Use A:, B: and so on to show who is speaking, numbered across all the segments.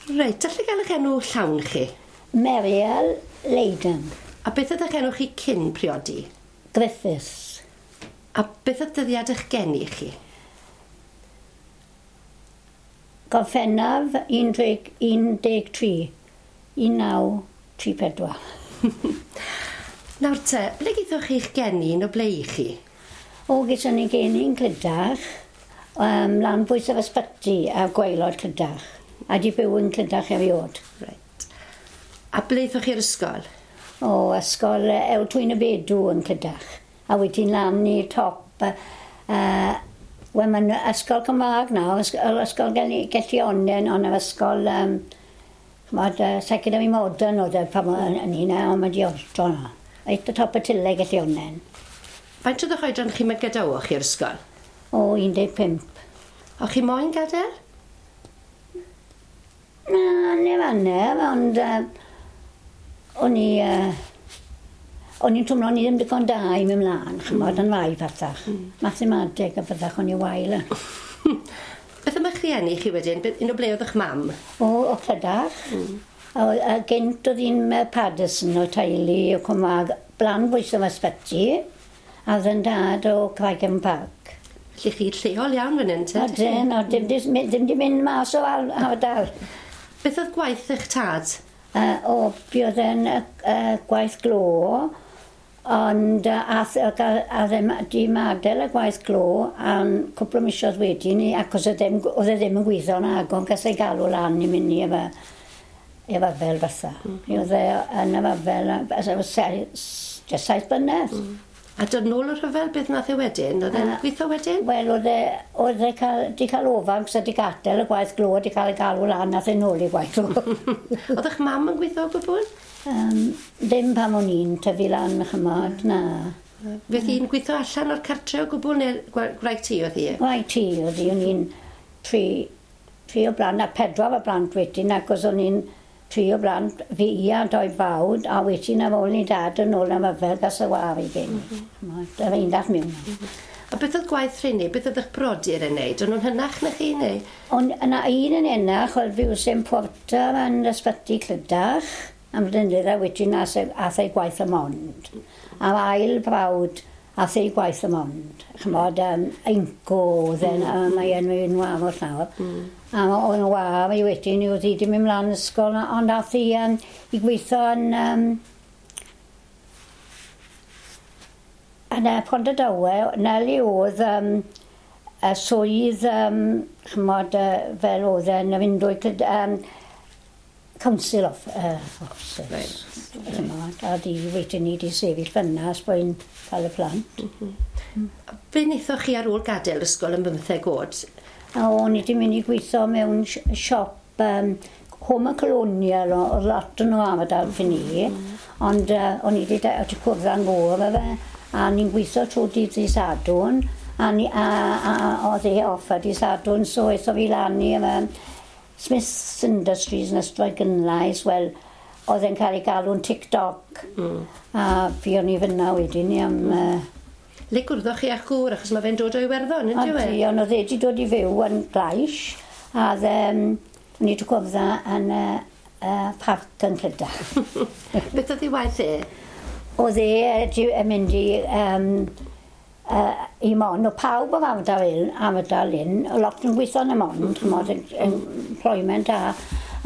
A: Reit, allai gael eich enw llawn chi?
B: Meriel Leiden.
A: A beth oedd eich enw chi cyn priodi?
B: Griffiths.
A: A beth oedd dyddiad eich geni chi?
B: Gorffennaf 13 1934.
A: Nawr te, ble gaethoch chi'ch geni un o ble i chi?
B: O, geson ni geni yn Clydach, lan bwys yr ysbyty a gwaelod Clydach. A di byw yn Clydach eriod.
A: Reit. A ble aethoch chi'r ysgol?
B: O, ysgol Ewl Twyn y Bedw yn Clydach. A wedyn lan i top... Wel, mae'n ysgol Cymraeg nawr, ysgol Gellionnen, ond yr ysgol... Ch'mod, Secondary Modern oedd e pan o'n i 'na, ond mae 'di altro nawr. Reit o top y tyle Gellionnen.
A: Faint oedd eich oedran chi pan gadawoch chi'r ysgol?
B: O, 15.
A: O'ch chi moyn gadael?
B: Na, neb anner, ond o'n i... o'n i'n twmlo o'n i ddim digon da i mynd mlaen, ch'mod, yn rai pethach. Mathemateg a pethach o'n i wael yn.
A: Beth am eich rhieni chi wedyn? Un o ble oedd eich mam?
B: O, Clydach. A gynt oedd un Paddison o teulu o Cymraeg, blan bwys am ysbyty, a oedd yn dad o Craigavon Park.
A: Felly chi lleol iawn fan hyn, te?
B: Odyn, o, dim di mynd mas o ardal.
A: Beth oedd gwaith eich tad?
B: O, buodd e'n gwaith glo, ond ath e di madael y gwaith glo am cwpl o misoedd wedyn ni, ac oedd e ddim yn gweithio yn agor, gas ei galw lan i mynd i efo fel fatha. Oedd e yn y fel, jyst 7 blynedd.
A: A dod nôl o'r rhyfel, beth nath e wedyn? Oedd e'n gweithio wedyn?
B: Wel, oedd e di cael ofan, cos oedd di gadael y gwaith glo, di cael ei galw lan, nath e nôl i gwaith glo.
A: Oedd eich mam yn gweithio o gwbl?
B: Ddim pan o'n i'n tyfu lan, ch'mod, na.
A: Fydd hi'n gweithio allan o'r cartre o gwbl, neu gwraig tŷ oedd hi?
B: Gwraig tŷ oedd hi, o'n i'n tri o blant, a 4 o blant wedyn, ac o'n i'n 3 o blant, fi a 2 fawd, a wedyn ar ôl ni dad yn ôl am yfel gas y war i gen. Dyna un dach mewn.
A: A beth oedd gwaith rheini? Beth oedd eich brodyr yn neud? O'n nhw'n hynach na chi, neu?
B: Ond yna un yn enach, oedd fi wrth porter yn ysbyty Clydach, am flynyddoedd, a wedyn ath ei gwaith y Mond. A'r ail brawd ath ei gwaith y Mond. Ch'mod, Einco oedd e'n, mae e'n mynd warfod nawr. A o'n war i wedyn, oedd hi wedi mynd mlaen ysgol, ond ath hi i gweithio yn Pontardawe, Neli oedd y swydd, ch'mod, fel oedd e'n fynd o'i Council of Officers. Right. A di wedyn ni di sefyll fyna ers bod hi'n cael y plant.
A: Be wnaethoch chi ar ôl gadael ysgol yn 15 oed?
B: A o'n i wedi mynd i gweithio mewn siop Home and Colonial, oedd lot o'n nhw am y dal fy ni, ond o'n i wedi cwrdd â'n gŵr efo fe, a ni'n gweithio trwy dydd i Sadwrn, a oedd e off ar dydd Sadwrn, so aetho fi lan i efo Smith's Industries yn Ystrad Gynlais, wel, oedd e'n cael ei galw'n TikTok, a fi o'n i fyna wedyn ni am...
A: Le gwrddoch chi â'ch gŵr, achos mae fe'n dod o Iwerddon, yn dyw e?
B: Ydy, ond oedd e wedi dod i fyw yn Glais, a o'n i wedi cwrdd yn y parc yn Clydach.
A: Beth oedd ei waith e?
B: Oedd e yn mynd i Mon, o pawb o'r ardal hyn, o lot yn gweithio yn y Mon, ch'mod, employment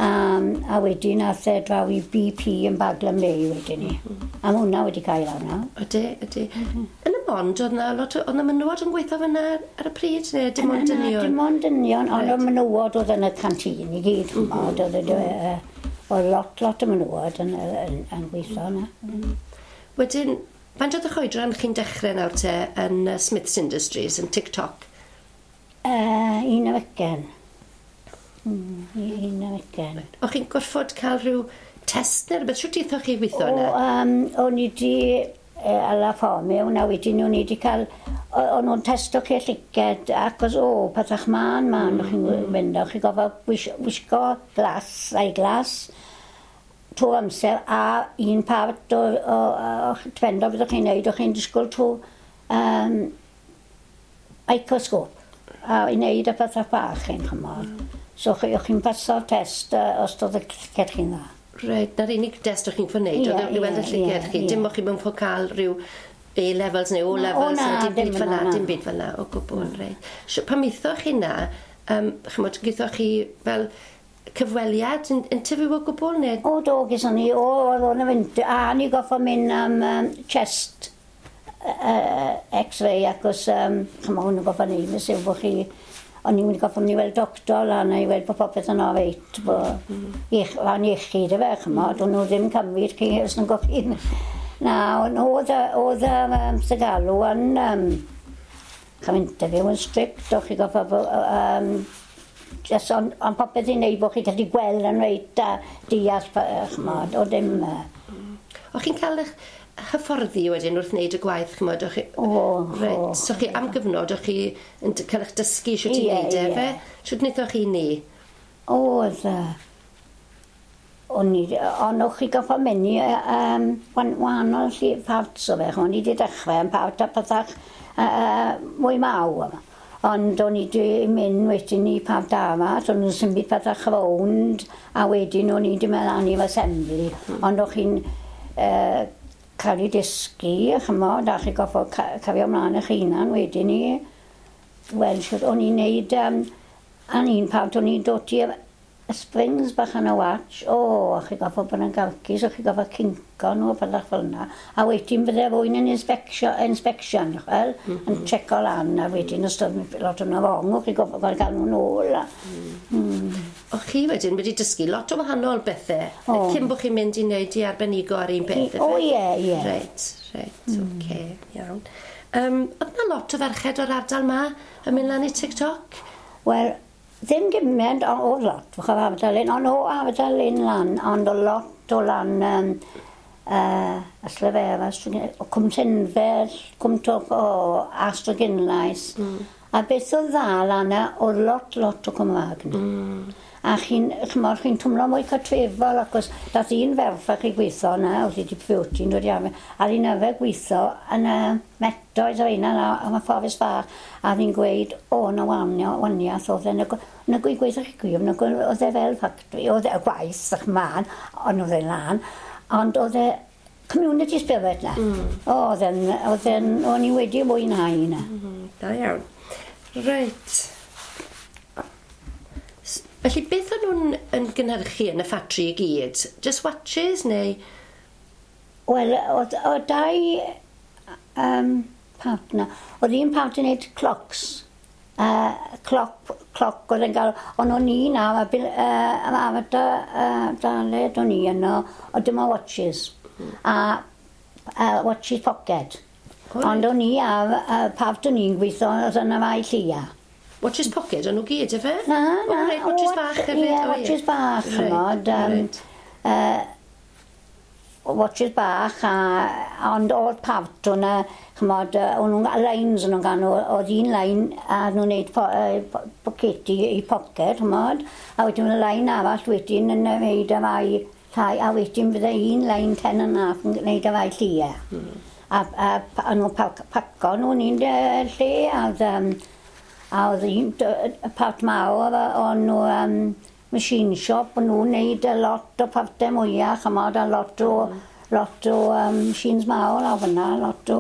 B: a wedyn ath e draw i BP yn Baglan Bay wedyn ni. A ma' hwnna wedi cael awr nawr.
A: Ydy, ydy. Yn y Mond, oedd na lot oedd na menywod yn gweithio fyna ar y pryd, neu dim ond dynion?
B: Dim ond dynion, ond oedd menywod oedd yn y canteen i gyd, ch'mod, oedd lot o menywod yn gweithio yna.
A: Wedyn, faint oedd eich oedran chi'n dechrau nawr te yn Smith's Industries, yn TikTok?
B: 21. 21.
A: O'ch chi'n gorfod cael rhyw test neu rhywbeth? Shwt aethoch chi weithio yna?
B: O'n i wedi ala ffordd mewn, a wedyn o'n i wedi cael... O'n nhw'n testo chi llygaid, ac o, pethach man, o'ch chi'n mynd, o'ch chi'n gofio wisgo glas, eyeglass, trwy amser, a un part o dependo beth o'ch chi'n neud, o'ch chi'n disgwyl trwy microscope, a i wneud y pethau bach chi'n chymod. So chi'n paso'r test os doedd y llyged chi'n dda.
A: Reit, na'r unig test o'ch chi'n ffod wneud, oedd i weld y llyged chi. Dim o'ch chi mewn ffordd cael rhyw A-levels neu O-levels, dim byd fel 'na, dim byd fel 'na, o gwbl, reit. Pan methoch chi na, chymod, gythoch chi fel cyfweliad, interview o gwbl, neu?
B: O, do, gyson ni, o, oedd o'n fynd, a ni goffo mynd am chest x-ray, acos, chymod, hwnnw goffo neud, nes yw bod chi, o'n i'n mynd i goffo mynd i weld doctor lan a i weld bod popeth yn oreit, bod fan iechyd efe, chymod, o'n nhw ddim cymryd chi os nhw'n gofyn. Na, oedd oedd galw yn chym interview yn strict, o'ch chi goffo just on popeth i wneud bod chi'n gallu gweld yn reit a deall, chymod, o ddim.
A: O'ch chi'n cael eich hyfforddi wedyn wrth wneud y gwaith, chymod, o'ch chi?
B: O,
A: Reit, so chi am gyfnod, o'ch chi yn cael eich dysgu shwt i wneud e, fe? Shwt wnaethoch chi ni?
B: Oedd, o'n i, ond o'ch chi goffo mynd i wahanol parts o fe, o'n i wedi dechrau yn part a pethach mwy mawr. Ond o'n i wedi mynd wedyn i part arall, o'n nhw'n symud pethach rownd, a wedyn o'n i wedi mynd lan i'r assembly. Ond o'ch chi'n cael ei dysgu, chymod, a chi goffo cario ymlaen eich hunan wedyn i. Wel, shwt o'n i'n neud, an un part o'n i'n dod i'r springs bach yn y watch, o, a chi goffo bod yn garcus, o chi goffo kinko nhw, a pethach fel yna. A wedyn bydde rwy'n yn inspection, chwel, yn checo lan, a wedyn os oedd lot o'n wrong, o chi goffo gael nhw'n ôl.
A: O'ch chi wedyn wedi dysgu lot o wahanol bethau, cyn bod chi'n mynd i wneud i arbenigo ar un peth,
B: O, ie, ie.
A: Reit, reit, oce, iawn. Oedd yna lot o ferched o'r ardal ma yn mynd lan i TikTok?
B: Wel, ddim gymaint, ond oedd lot, fach o'r ardal un, ond o ardal un lan, ond o lot o lan Ystalyfera, o Cwm Tinfell, Cwm Twch, o Ystradgynlais. A beth oedd dda lan yna, oedd lot, lot o Cymraeg yna. A chi'n, chymod, chi'n twmlo mwy cartrefol, achos dath un ferch i gweithio yna, oedd hi wedi priodi, dod i arfer, a hi'n arfer gweithio yn y metoedd o un yna, am y fforest fach, a hi'n gweud, o, na waniaeth, oedd e'n y gweithio chi gwir, oedd e fel factory, oedd e gwaith, ych man, ond oedd e'n lan, ond oedd e community spirit na. O, oedd e'n, o'n i wedi mwynhau na.
A: Da iawn. Reit. Felly, beth o'n nhw'n yn gynhyrchu yn y ffatri i gyd? Just watches neu?
B: Wel, oedd dau part na. Oedd un part yn neud clocks. Clock oedd yn gael, ond o'n i na, am daled o'n i yno, oedd dim o watches. A watches pocket. Ond o'n i ar part o'n i'n gweithio, oedd yna fai llia.
A: Watches pocket, o'n nhw gyd, efe?
B: Na, na.
A: O, reit, watches bach hefyd.
B: Ie, watches bach, chymod. Watches bach, ond oedd part o'na, chymod, o'n nhw'n lines o'n nhw'n gael, oedd un line a nhw'n neud pocedi i pocket, chymod, a wedyn oedd line arall wedyn yn neud y rai llai, a wedyn bydde un line 10.5 yn neud y rai llia. A nhw'n paco nhw'n un lle, a oedd un part mawr o'n nhw machine shop, o'n nhw'n neud a lot o partau mwyach, chymod, a lot o machines mawr a fyna, lot o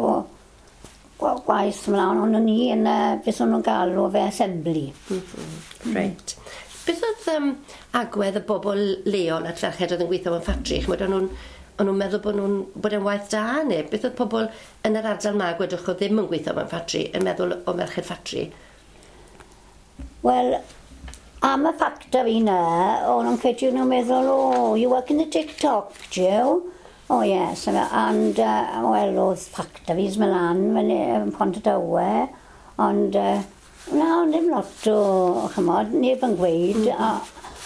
B: gwaith ymlaen, ond o'n i yn, beth o'n nhw'n galw fe assembly.
A: Reit. Beth oedd agwedd y bobl leol at ferched oedd yn gweithio mewn ffatri? Chymod, o'n nhw'n meddwl bod nhw'n bod e'n waith da, neu beth oedd pobl yn yr ardal ma, gwedwch, oedd ddim yn gweithio mewn ffatri, yn meddwl o merched ffatri?
B: Wel, am y factory na, o'n nhw'n credu nhw'n meddwl, oh, you work in the TikTok, do you? Oh, yes. And, well, oedd factories mynd lan, yn Pontardawe, ond, na, ond ddim lot o, chymod, neb yn gweud.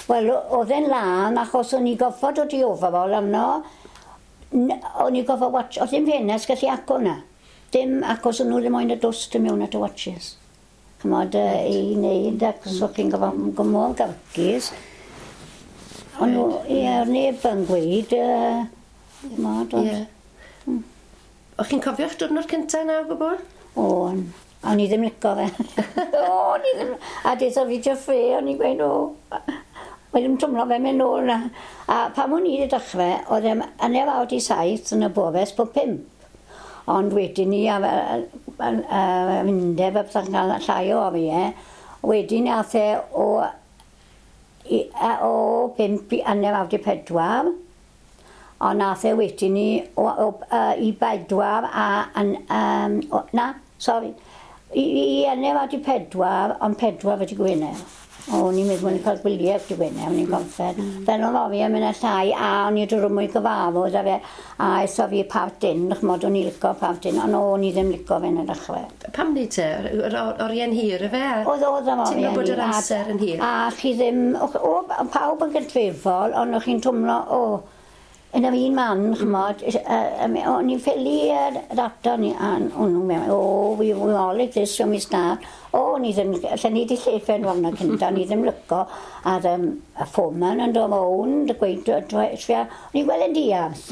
B: Wel, oedd e'n lan, achos o'n i goffod o di overall amno, o'n i goffod watch, oedd ddim ffenest gallu agor na. Dim, achos o'n nhw ddim moyn y dwst yn mewn at y watches. Chymod, i wneud, achos o'ch chi'n gofod mor garcus. Ond nhw, ie, neb yn gweud, chymod, ond.
A: O'ch chi'n cofio'ch diwrnod cyntaf na o gwbl?
B: O'n. O'n i ddim lico fe. O, o'n i ddim... A deitha fi Jeffrey, o'n i'n gweud, o, Mae ddim twmlo fe mynd nôl na. A pan o'n i wedi dechrau, oedd e'n 6:15 yn y bore, ers 5. Ond wedyn ni, a undeb a pethau'n cael llai o oriau, wedyn ath e o 5 i 3:30, ond nath e wedyn ni i 4 a, na, sori, i 3:45, ond 4 wedi Gwener. O'n i'n meddwl o'n i'n cael gwyliau wedi Gwener, o'n i'n gorffen. Fel o'n oriau mynd â llai, a o'n i'n dod mwy gyfarfod a fe, a eso fi part in, ch'mod, o'n i'n lico part in, ond o'n i ddim lico fe yn y dechrau.
A: Pam ni te? Yr oriau'n hir y fe?
B: Oedd am oriau'n
A: hir. Teimlo bod yr amser yn hir?
B: A chi ddim, o, pawb yn gydrefol, ond o'ch chi'n twmlo, o, yn yr un man, ch'mod, o'n i'n ffili data ni, a o'n nhw'n meddwl, o, we all like this when we start. O, o'n i ddim, lle ni di llefen warna cynta, o'n i ddim lyco, a'r y foreman yn dod rownd, a gweud, o'n i'n gweld yn diarth.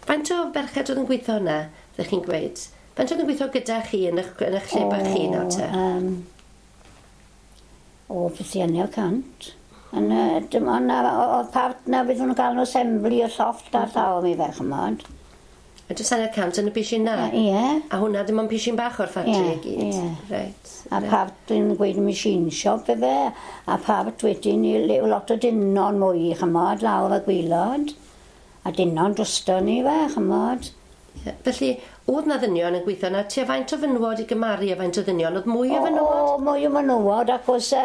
A: Faint o ferched oedd yn gweithio yna, ddech chi'n gweud? Faint oedd yn gweithio gyda chi yn eich lle bach chi nawr te?
B: O, beth i 100. Dim ond oedd part na fydd nhw'n gael nhw assembly o llofft a llaw mi fe, ch'mod.
A: A jyst 100 yn y pishin na?
B: Ie.
A: A hwnna dim ond pishin bach o'r ffatri i gyd?
B: Ie. Reit. A part yn gweud machine shop fe, a part wedyn i lot o dynon mwy, ch'mod, lawr y gwylod. A dynon drosto ni fe, ch'mod.
A: Ie. Felly, oedd na ddynion yn gweithio na, tua faint o fenywod i gymaru a faint o ddynion? Oedd mwy o fenywod?
B: O, mwy o fenywod, ac oes y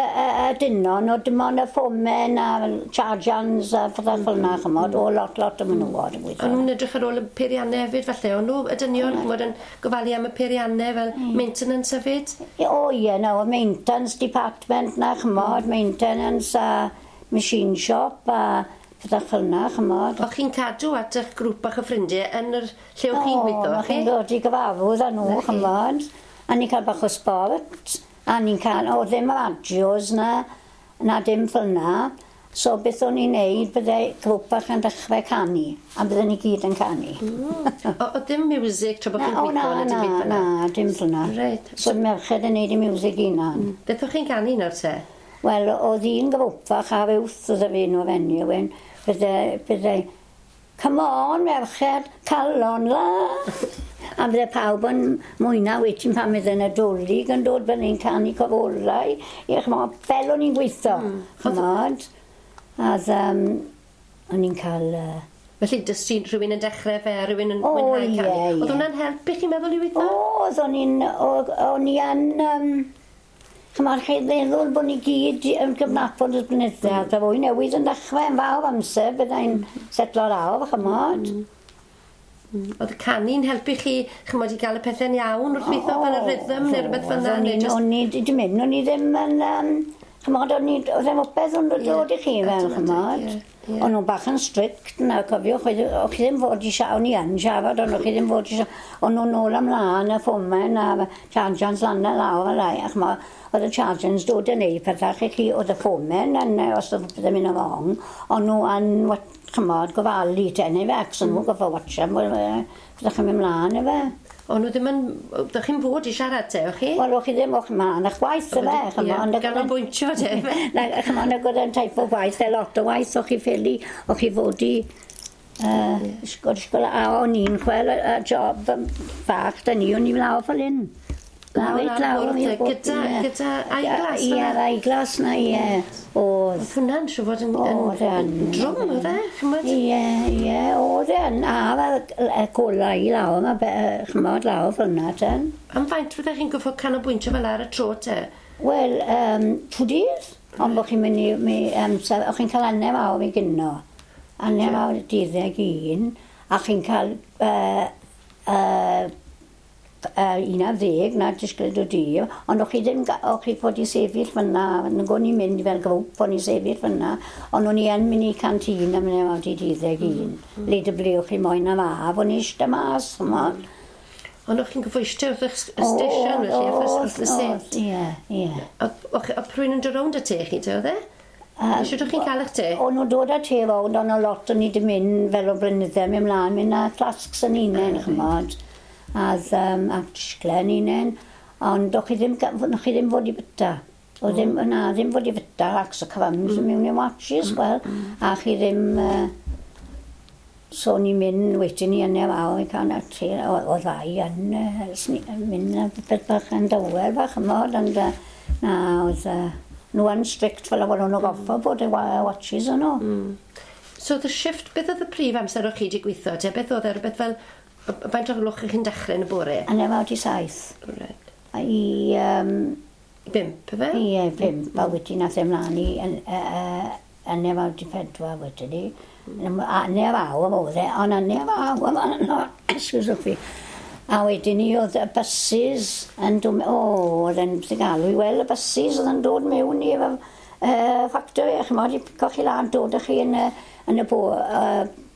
B: dynon, oedd dim ond y ffomen a chargeans a pethau fel yna, ch'mod, o lot, lot o menywod yn gweithio.
A: O'n nhw'n edrych ar ôl y peiriannau hefyd, falle, o'n nhw, y dynion, ch'mod, yn gofalu am y peiriannau fel maintenance hefyd?
B: O, ie, na, oedd maintenance department na, ch'mod, maintenance a machine shop a pethau fel yna, ch'mod.
A: O'ch chi'n cadw at eich grŵp bach o ffrindiau yn yr lle o'ch chi'n gweithio,
B: chi? Chi'n dod i gyfarfod â nhw, ch'mod. A ni'n cael bach o sport, a ni'n cael, o ddim radios na dim fel yna. So beth o'n i'n neud, bydde grŵp bach yn dechrau canu, a bydden ni gyd yn canu.
A: O ddim music tra bod chi'n gweithio?
B: Na, na, na, dim fel yna.
A: Reit.
B: So merched yn neud y music hunan.
A: Beth o'ch chi'n canu nawr te?
B: Wel, oedd un grŵp fach ar wrth oedd y fi nhw fenyw, bydde, come on, merched, calon la. A bydde pawb yn mwyna wedyn pan bydde Nadolig yn dod, bydde ni'n canu cofolau. Ie, ch'mod, fel o'n i'n gweithio, ch'mod. A o'n i'n cael...
A: Felly, dysgu rhywun yn dechrau fe, rhywun yn mwynhau canu. Oedd hwnna'n helpu chi'n meddwl i weithio?
B: Oedd, o'n i yn... Ch'mod, chi'n meddwl bod ni gyd yn gyfnabod y blynyddoedd, a fwy newydd yn dechrau yn fawr amser, byddai'n setlo lawr, ch'mod.
A: Oedd y canu'n helpu chi, ch'mod, i gael y pethau'n iawn wrth weithio fel y rhythm neu rhywbeth fel yna?
B: O'n i ddim mynd, o'n i ddim yn, ch'mod, oedd e'n popeth yn dod i chi fel, ch'mod. O'n nhw'n bach yn strict na, cofiwch, o'ch chi ddim fod i siarad, o'n i yn siarad, ond o'ch chi ddim fod i siarad, o'n nhw'n nôl ymlaen y ffomen a chargeans lan a lawr a lai, a ch'mod, oedd y chargeans dod yn neud pethau chi, oedd y ffomen, yn, os oedd pethau'n mynd yn wrong, o'n nhw yn, ch'mod, gofalu te, neu fe, ac o'n nhw'n gofio watcha, byddech chi'n mynd mlaen, efe.
A: O'n nhw ddim yn... Ydych chi'n fod i siarad te, o'ch chi?
B: Wel, o'ch chi ddim, o'ch mlaen, a'ch gwaith efe, ch'mod.
A: Ganolbwyntio te, efe?
B: Na, ch'mod, nag oedd e'n type o gwaith, fel lot o waith, o'ch chi ffili, o'ch chi fod i... Ysgol, a o'n i'n chwel y job fach, da ni, o'n i'n lawr fel hyn.
A: Lawr, gyda eyeglass?
B: Ie, eyeglass na, ie.
A: Oedd. Hwnna'n siŵr fod yn drwm, oedd e?
B: Ie, ie, oedd e. A y golau i lawr, ch'mod, lawr fel yna, ten.
A: Am faint fyddech chi'n gorfod canolbwyntio fel ar y tro te?
B: Wel, 2 dydd. Ond bod chi'n mynd i, o'ch chi'n cael 1.5 awr i gynno. 1.5 awr 21, a chi'n cael 11 na disgwyl o dydd, ond o'ch chi ddim, o'ch chi fod i sefyll fyna, nag o'n i'n mynd fel grŵp, o'n i sefyll fyna, ond o'n i yn mynd i canteen am 9:21, le dy ble o'ch chi moyn am af, o'n i eistedd mas, ch'mod.
A: Ond o'ch chi'n gorfod eistedd wrth eich station, felly, wrth y set?
B: Ie, ie.
A: Oedd rhywun yn dod rownd â te chi, te, oedd e? Sut o'ch chi'n cael eich te?
B: O'n nhw'n dod â te rownd, ond o lot o'n i wedi mynd fel o blynydde, mynd mlaen, mynd â flasks yn unen, ch'mod. A disglen unen. Ond o'ch chi ddim, o'ch chi ddim fod i byta. Oedd ddim, na, ddim fod i fyta ac so cyfams mewn i watches, wel, a chi ddim... So ni'n mynd wedyn ni yn efo i cael ti, oedd ddau yn mynd a beth bach yn dywel bach ymod, ond na, oedd nhw yn strict fel o'n nhw'n goffa bod y watches yn nhw.
A: So oedd y shift, beth oedd y prif amser o'ch chi wedi gweithio? Te, beth oedd e, rhywbeth fel, faint o'r gloch chi'n dechrau yn y bore?
B: Yn efo 7.
A: Right.
B: I...
A: 5, efe?
B: Ie, 5, a wedyn nath e mlaen i yn efo 4 wedyn ni. Hanner awr oedd e, ond hanner awr, excuse me. A wedyn ni oedd y buses yn dod, oedd e'n galw i weld y buses oedd yn dod mewn i'r factory, ch'mod, i pico chi lan, dod â chi yn y bo.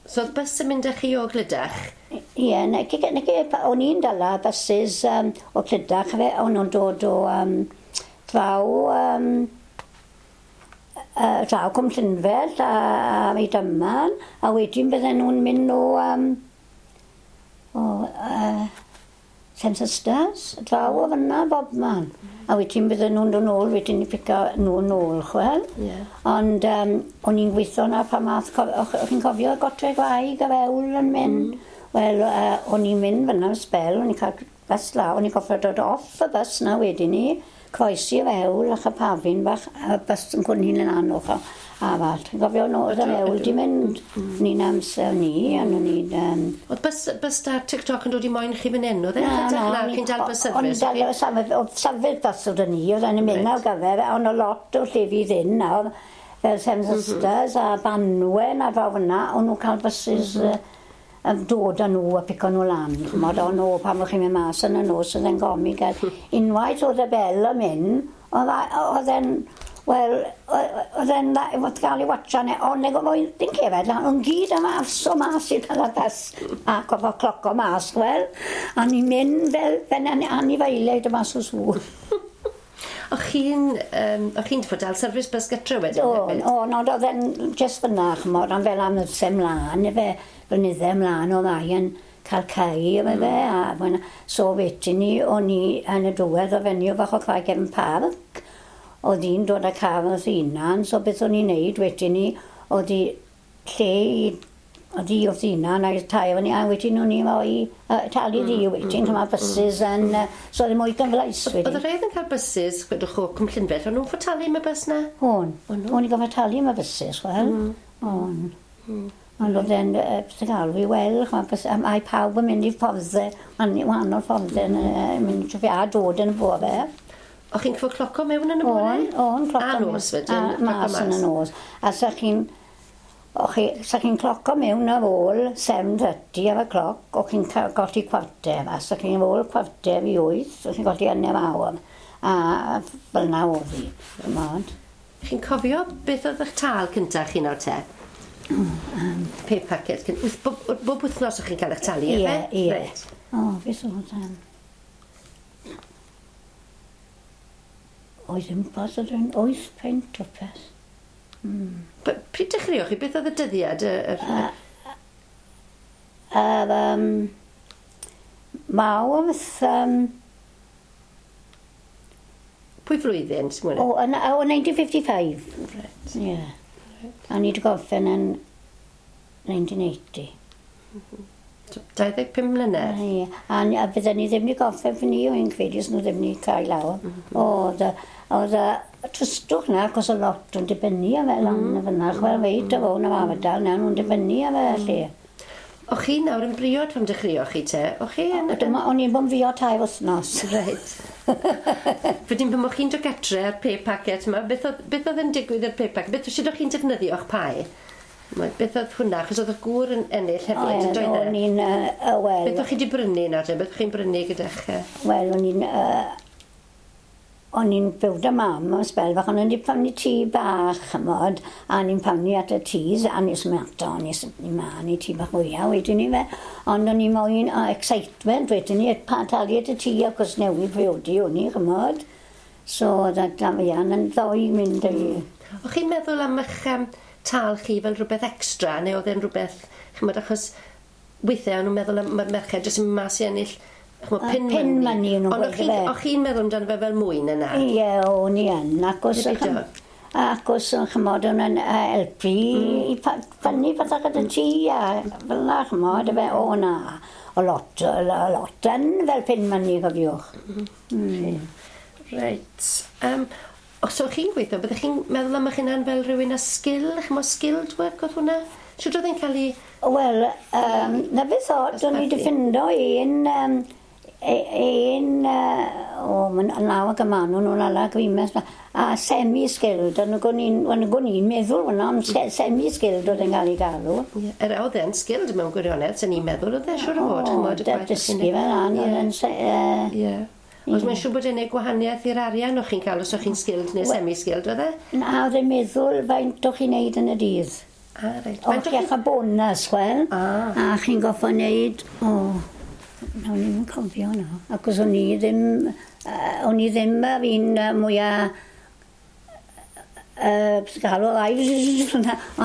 A: So oedd bus yn mynd â chi o Glydach?
B: Ie, o'n i'n dala buses o Clydach, fe, o'n nhw'n dod o draw, draw Cwm Llynfell a Rhydyman, a wedyn bydden nhw'n mynd o Seven Sisters, draw o fyna bob man. A wedyn bydden nhw'n dod nôl, wedyn i pico nhw nôl, chwel.
A: Yeah.
B: Ond o'n i'n gweithio na pan math, o'ch chi'n cofio Gotre Gwaig a fewl yn mynd? Wel, o'n i'n mynd fyna am sbel, o'n i'n cael bus la, o'n i'n gofio dod off y bus na wedyn ni, croesi y fewl ac y pafin bach, a bus yn cwrdd yn anoch a fall. Ti'n cofio nhw, oedd y fewl di mynd, ni'n amser ni, a nhw'n ni'n...
A: Oedd bus da TikTok yn dod i moyn chi fan hyn, oedd e? Na, chi'n dal bus service?
B: Oedd safed bus oedd ni, oedd e'n mynd ar gyfer, ond o lot o llefydd hyn nawr, fel Seven Sisters a Banwen a draw fyna, o'n nhw'n cael buses dod â nhw a pico nhw lan. Ch'mod, o'n nhw, pan o'ch chi'n mynd mas yn y nos, oedd e'n gomi gael. Unwaith oedd y bel yn mynd, oedd e'n, wel, oedd e'n fod gael ei watcha ne, ond oedd ddim cefed lan, o'n gyd am afso mas i'r cael y bus a gofo cloco mas, wel, a ni'n mynd fel anifeiliaid y mas o sŵ.
A: O'ch chi'n fod dal service bus gytre wedyn?
B: O, no, oedd e'n just fyna, ch'mod, ond fel amser mlaen, efe, blynydde mlaen oedd ddau yn cael cae efo fe, a so wedyn ni, o'n i yn y diwedd o fenyw fach o Craig Gefn Parc, oedd hi'n dod â car wrth hunan, so beth o'n i'n neud wedyn ni, oedd hi lle i, oedd hi wrth hunan a'r tair o'n i, a wedyn o'n i'n rhoi talu di wedyn, ch'mod, buses yn, so oedd e mwy gyfleus wedyn.
A: Oedd y rhaid yn cael buses, gwedwch o Cwm Llynfell, o'n nhw'n fod talu am y bus na?
B: O'n, o'n i'n gofod talu am y buses, wel, o'n. Ond oedd e'n beth yn galw i wel, mae pawb yn mynd i fforddau, wahanol fforddau yn mynd trwy a dod yn y bore.
A: O'ch chi'n cyfo cloco mewn yn y bore?
B: O'n, cloco.
A: A nos wedyn?
B: A mas yn y nos. A sa chi'n cloco mewn ar ôl 7:30 ar y cloc, o'ch chi'n golli 7:15, a sa chi'n ôl 7:45, o'ch chi'n golli 1/4. A fel na oedd hi, ch'mod.
A: Chi'n cofio beth oedd eich tâl cyntaf chi nawr te? Pay packet. Bob wythnos o'ch chi'n cael eich talu, efe?
B: Ie, ie. O, beth oedd e'n... Oedd yn bas oedd yn 8 punt o peth.
A: Pryd dechreuoch chi? Beth oedd y dyddiad?
B: Mawrth...
A: Pwy flwyddyn?
B: O, 1955.
A: Right.
B: Ie. A ni wedi gorffen yn 1980.
A: 25 mlynedd?
B: Ie, a bydden ni ddim wedi gorffen fy ni o'n credu os nhw ddim wedi cael lawr. Oedd y tristwch na, achos o lot o'n dibynnu ar fe lan y fyna. Chwel reit o fo'n am ardal, na nhw'n dibynnu ar fe lle.
A: O'ch chi nawr yn briod pan dechreuoch chi te? O'ch chi yn...
B: O'n i'n bod yn briod 3 wythnos.
A: Reit. Wedyn pan o'ch chi'n dod gatre ar pay packet yma, beth oedd yn digwydd ar pay packet? Beth sut o'ch chi'n defnyddio'ch pae? Beth oedd hwnna? Achos oedd y gŵr yn ennill hefyd, yn doedd e?
B: O'n i'n... Wel...
A: Beth o'ch chi wedi brynu nawr te? Beth o'ch chi'n brynu gyda'ch...
B: Wel, o'n i'n... O'n i'n byw da mam am sbel fach, o'n i'n prynu tŷ bach, ch'mod, a o'n i'n prynu at y tŷs, a nes mato, nes i ma, ni tŷ bach mwyaf wedyn ni fe, ond o'n i'n moyn excitement wedyn ni, talu at y tŷ achos newydd priodi o'n i, ch'mod. So, oedd Damian yn ddoi mynd i.
A: O'ch chi'n meddwl am eich tal chi fel rhywbeth extra, neu oedd e'n rhywbeth, ch'mod, achos weithiau o'n nhw'n meddwl am merched jyst yn mynd mas i ennill Ch'mo, pin money.
B: Pin money nhw'n
A: gweud fe. Ond o'ch chi'n meddwl amdano fe fel mwy na na?
B: Ie, o'n i yn. Ac os, ac os ch'mod, o'n yn helpu i ffynnu pethau gyda ti a fel na, ch'mod, fe, o na. O lot, o lot yn fel pin money, cofiwch.
A: Reit. Os o'ch chi'n gweithio, byddech chi'n meddwl am eich hunan fel rhywun â sgil? Ch'mo, skilled work oedd hwnna? Shwt oedd e'n cael ei...
B: Wel, na beth oedd, o'n i wedi ffindo un, o, mae'n law ag yma nhw'n nhw'n ala gwimes, a semi-skilled, ond o'n i'n meddwl hwnna, ond semi-skilled oedd e'n cael ei galw.
A: Ie, oedd e'n skilled mewn gwirionedd, sy'n ni'n meddwl, oedd e siŵr o fod, ch'mod,
B: y gwaith. O, dysgu fel an, oedd e'n...
A: Ie. Ond mae'n siŵr bod e'n neud gwahaniaeth i'r arian o'ch chi'n cael os o'ch chi'n skilled neu semi-skilled, oedd e?
B: Na, oedd e'n meddwl faint o'ch chi'n neud yn y dydd.
A: Ah, reit.
B: O'ch chi'n cael bonus, wel, a chi'n goffo neud, o, na, o'n i'n cofio na. Ac os o'n i ddim, y fi'n mwyaf galw rai,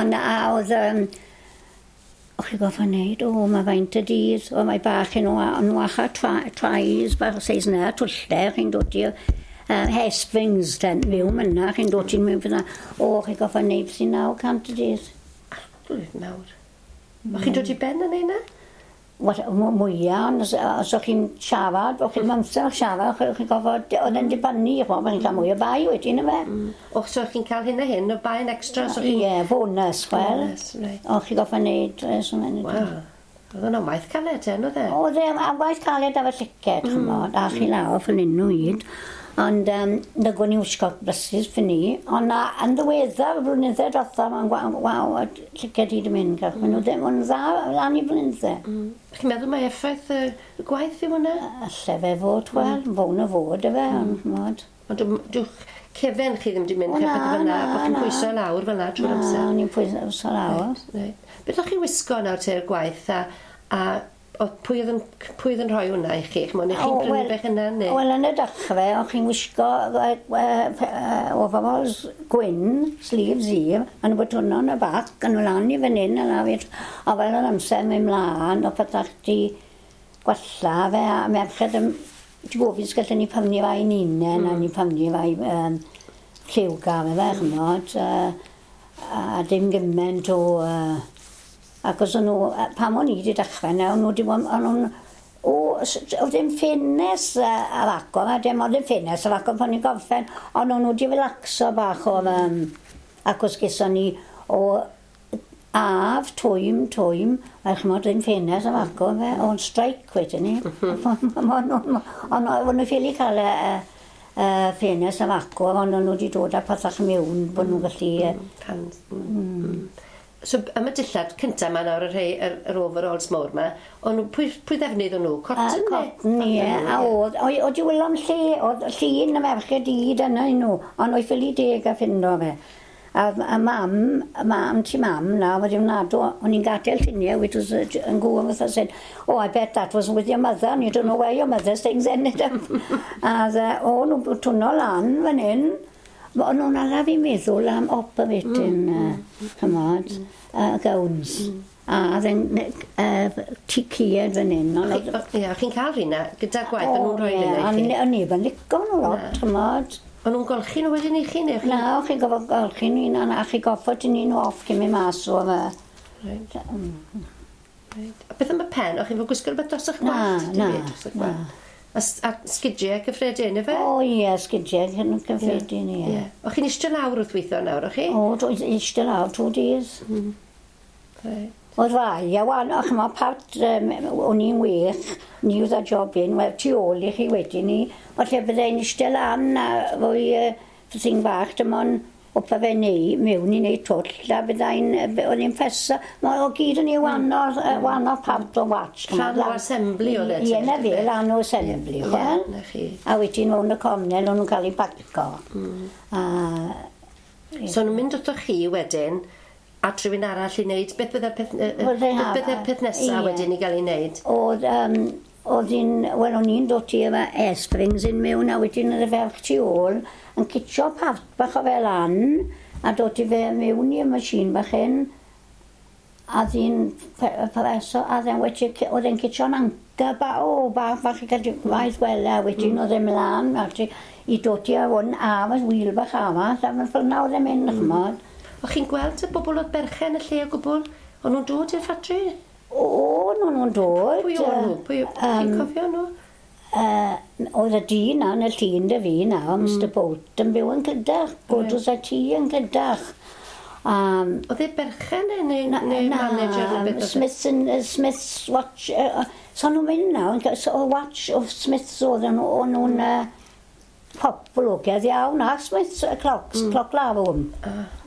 B: ond a oedd, o'ch chi'n goffo neud, o, mae faint y dydd, o, mae bach yn nhw acha trais, bach o seis na, twlle, chi'n dod i'r hespings, ten, fyw myna, chi'n dod i'n mewn fyna, o, chi'n goffo neud sy'n 900 y dydd.
A: Arglwydd mawr. O'ch chi'n dod i ben yn ei na?
B: Mwyaf, ond os o'ch chi'n siarad, o'ch chi'n amser siarad, o'ch chi'n gofod, oedd e'n dibynnu, o'ch chi'n cael mwy o bai wedyn, yfe?
A: Och, so o'ch chi'n cael hyn a hyn, o bai yn extra?
B: Ie, bonus, wel.
A: Bonus, reit.
B: O'ch chi'n gofod wneud,
A: Waw, oedd hwnna'n waith caled, ten, oedd e?
B: Oedd e, a waith caled efo llyged, ch'mod, a chi lawr fan hyn nhw hyd. Ond nag o'n i wisgo braces fy ni, ond yn ddiweddar, y blynydde diwetha, mae'n waw, llyged i di mynd, gach. Maen nhw ddim yn dda lan i blynydde.
A: Chi'n meddwl mai effaith y gwaith yw hwnna?
B: Alle fe fod, wel, fown o fod, efe, ond ch'mod.
A: Ond dwch cefen chi ddim wedi mynd, pethau fel yna, bod chi'n pwyso lawr fel yna trwy'r amser.
B: Na, o'n i'n pwyso lawr.
A: Beth o'ch chi'n wisgo nawr te'r gwaith a pwy oedd yn rhoi hwnna i chi? Ch'mod, neu chi'n prynu bech yna, neu?
B: Wel, yn y dechrau, o'ch chi'n wisgo overalls gwyn, sleeves i, a nhw bod hwnna yn y bac, a nhw lan i fan hyn, a na fi, a fel yr amser mynd mlaen, o pethau chdi gwella fe, a merched yn gofyn gallen ni prynu fai yn unen, a ni prynu fai lliwgar, fe, ch'mod, a dim gymaint o... Ac os o'n nhw, pam o'n i wedi dechrau nawr, o'n nhw wedi bod, o'n nhw'n, oedd ddim ffenest ar agor, a dim ond ddim ffenest ar agor pan i'n gorffen, ond o'n nhw wedi relaxo bach o'r, ac os geson ni o af, twym, a ch'mod, ddim ffenest ar agor fe, o'n strike wedyn ni. O'n nhw ffili cael y ffenest ar agor, ond o'n nhw wedi dod â pethach mewn, bod nhw'n gallu...
A: So, am y dillad cyntaf yma nawr, yr overalls mawr yma, ond pwy ddefnydd o'n nhw? Cotton?
B: Cotton, ie. A oedd i wylo'n lle, oedd llun y merched i dyna i nhw, ond oedd ffili deg a ffindo fe. A mam ti mam na, wedi ymnadw, o'n i'n gadael lluniau, which was yn gŵr fatha said, oh, I bet that was with your mother, and you don't know where your mother's things ended up. A o, nhw'n twno lan fan hyn. O'n nhw'n ala fi meddwl am operating, ch'mod, gowns. A oedd e'n ticied fan hyn.
A: Ie, chi'n cael rhywna gyda gwaith, o'n nhw'n rhoi rhywna i chi?
B: O'n neb yn licio nhw lot, ch'mod.
A: O'n nhw'n golchi nhw wedyn i chi?
B: Na, o'ch chi'n gofod golchi nhw un, a chi'n goffod i nhw off cyn mynd mas o fe.
A: Reit. A beth am y pen? O'ch chi'n fod gwisgo rhywbeth dros eich gwallt?
B: Na, na.
A: A sgidiau cyffredin, efe?
B: O ie, sgidiau cyffredin, ie.
A: O'ch chi'n eistedd lawr wrth weithio nawr, o'ch chi?
B: O, eistedd lawr 2 days. Oedd rai, a wan, o'ch ma part, o'n i'n wych, ni oedd a job un, wel, tu ôl i chi wedyn ni, o lle byddai'n eistedd lan a fwy thing bach, dim ond opa fe neu, mewn i neud twll, a byddai'n, o'n i'n ffesa, o gyd yn ei wahanol part o watch.
A: Rhan o assembly oedd e?
B: Ie, na fe, rhan o assembly, chwel. A wedyn o'n y cornel, o'n nhw'n cael ei baco.
A: So nhw'n mynd wrthoch chi wedyn, at rhywun arall i wneud, beth bydde'r peth nesaf wedyn i gael ei wneud?
B: Oedd un, wel, o'n i'n dod i efo air-springs yn mewn, a wedyn oedd y ferch tu ôl yn citsio part bach o fel an, a dod i fe mewn i'r machine bach hyn, A ddyn professor, a dden wedi, oedd e'n citio'n anca ba, o, bach, bach i gael waith gwella, wedyn oedd e'n mlaen, a ti, i dod i hwn, a fe wheel bach arall, a fel na oedd e'n mynd, chymod.
A: O'ch chi'n gweld y bobl oedd berchen y lle o gwbl? O'n nhw'n dod i'r ffatri?
B: O, nhw'n dod.
A: Pwy o'n nhw? Pwy, chi'n cofio nhw?
B: Oedd y dyn na yn y llun dy fi na, Mr Bolt, yn byw yn Clydach, Godws a ti yn Clydach.
A: Oedd e berchen neu manager neu beth oedd
B: e? Smith's Watch, so nhw'n mynd nawr, so Watch of Smith's oedd nhw'n poblogaidd iawn, a Smith's clocks, cloc lawr.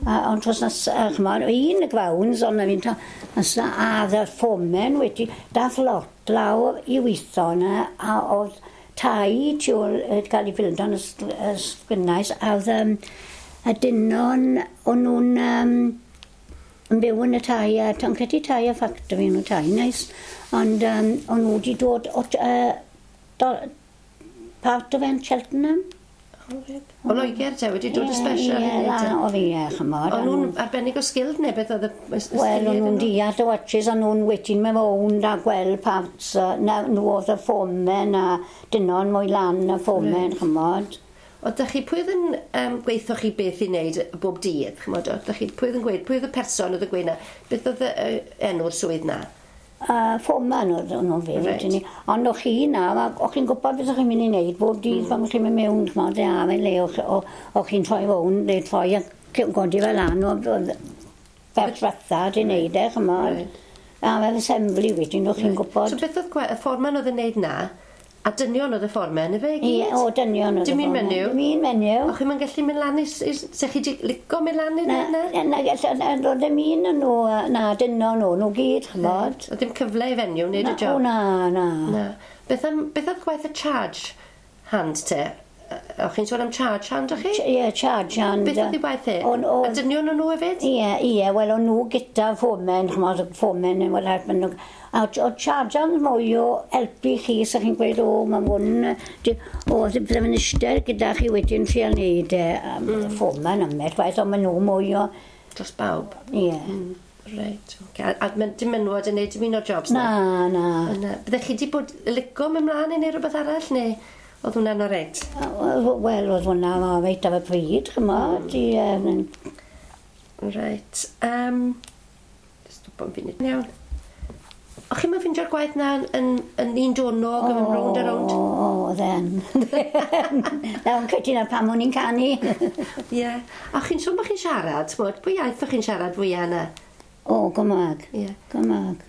B: Ond tros nas, chymod, un y gwawns, ond fi'n a y ffomen wedi, dath lot lawr i weithio yna, a oedd tai tu ôl cael ei ffildo yn y sgwynais, a oedd y dynon, o'n nhw'n yn byw yn y tai, a o'n credu tai a ffactori nhw tai, neis, ond o'n nhw wedi dod o part o fe'n Cheltenham.
A: O Loegr te, wedi dod y special
B: i wneud e? O fi, ie, chymod.
A: O'n nhw'n arbennig o skilled neu beth oedd y
B: Wel, o'n nhw'n deall y watches, o'n nhw'n wedyn mewn rownd a gweld parts, na, nhw oedd y ffomen a dynon mwy lan y ffomen, chymod.
A: O, dych chi, pwy oedd yn gweithio chi beth i wneud bob dydd, chymod? O, dych chi, pwy oedd yn gweud, pwy oedd y person oedd yn gweud na? Beth oedd enw'r swydd na?
B: Foreman oedd nhw'n fe, wedyn ni. Ond o'ch chi na, o'ch chi'n gwybod beth o'ch chi'n mynd i wneud bob dydd pan chi'n mynd mewn, chymod, a fe le, o'ch chi'n troi fewn, neu troi a godi fel lan, oedd fel fatha di wneud e, chymod. A fel assembly wedyn, o'ch chi'n gwybod.
A: So beth oedd y foreman oedd yn wneud na? A dynion oedd y fformen, efe i gyd?
B: Ie, o, dynion oedd y
A: fformen. Dim un menyw?
B: Dim un menyw.
A: O, chi'n gallu mynd lan i... Se chi di lico mynd lan i na?
B: Na, na, roedd ddim un yn nhw, na, dynion nhw, nhw gyd, chymod.
A: Oedd ddim cyfle i fenyw wneud y job?
B: O, na, na.
A: Na. Beth oedd gwaith y charge hand te? O'ch chi'n sôn am charge hand, o'ch chi?
B: Ie, charge hand.
A: Beth oedd ei waith e? A dynion o'n nhw hefyd?
B: Ie, ie, wel o'n nhw gyda ffomen, chymod, ffomen yn wel help nhw. A o charge hand mwy o helpu chi, sa chi'n gweud, o, mae hwn, o, bydde fe'n eistedd gyda chi wedyn trial neud e, ffomen ymell, waith, ond maen nhw mwy o...
A: Dros bawb?
B: Ie.
A: Reit, oce. A dim menywod yn neud dim un o'r jobs
B: na? Na, na.
A: Byddech chi wedi bod lico mynd mlaen i neud rhywbeth arall, neu? Oedd hwnna'n oreit?
B: Wel, oedd hwnna'n oreit ar y pryd, chymod.
A: Reit. Stop am funud. Iawn. O'ch chi'n ffeindio'r gwaith na yn un donog, yn mynd rownd a rownd?
B: O, oedd e'n. Na, o'n credu na pam o'n i'n canu.
A: Ie. A chi'n sôn bod chi'n siarad, ch'mod, pwy iaith o'ch chi'n siarad fwyaf yna?
B: O, Gymraeg.
A: Ie.
B: Gymraeg.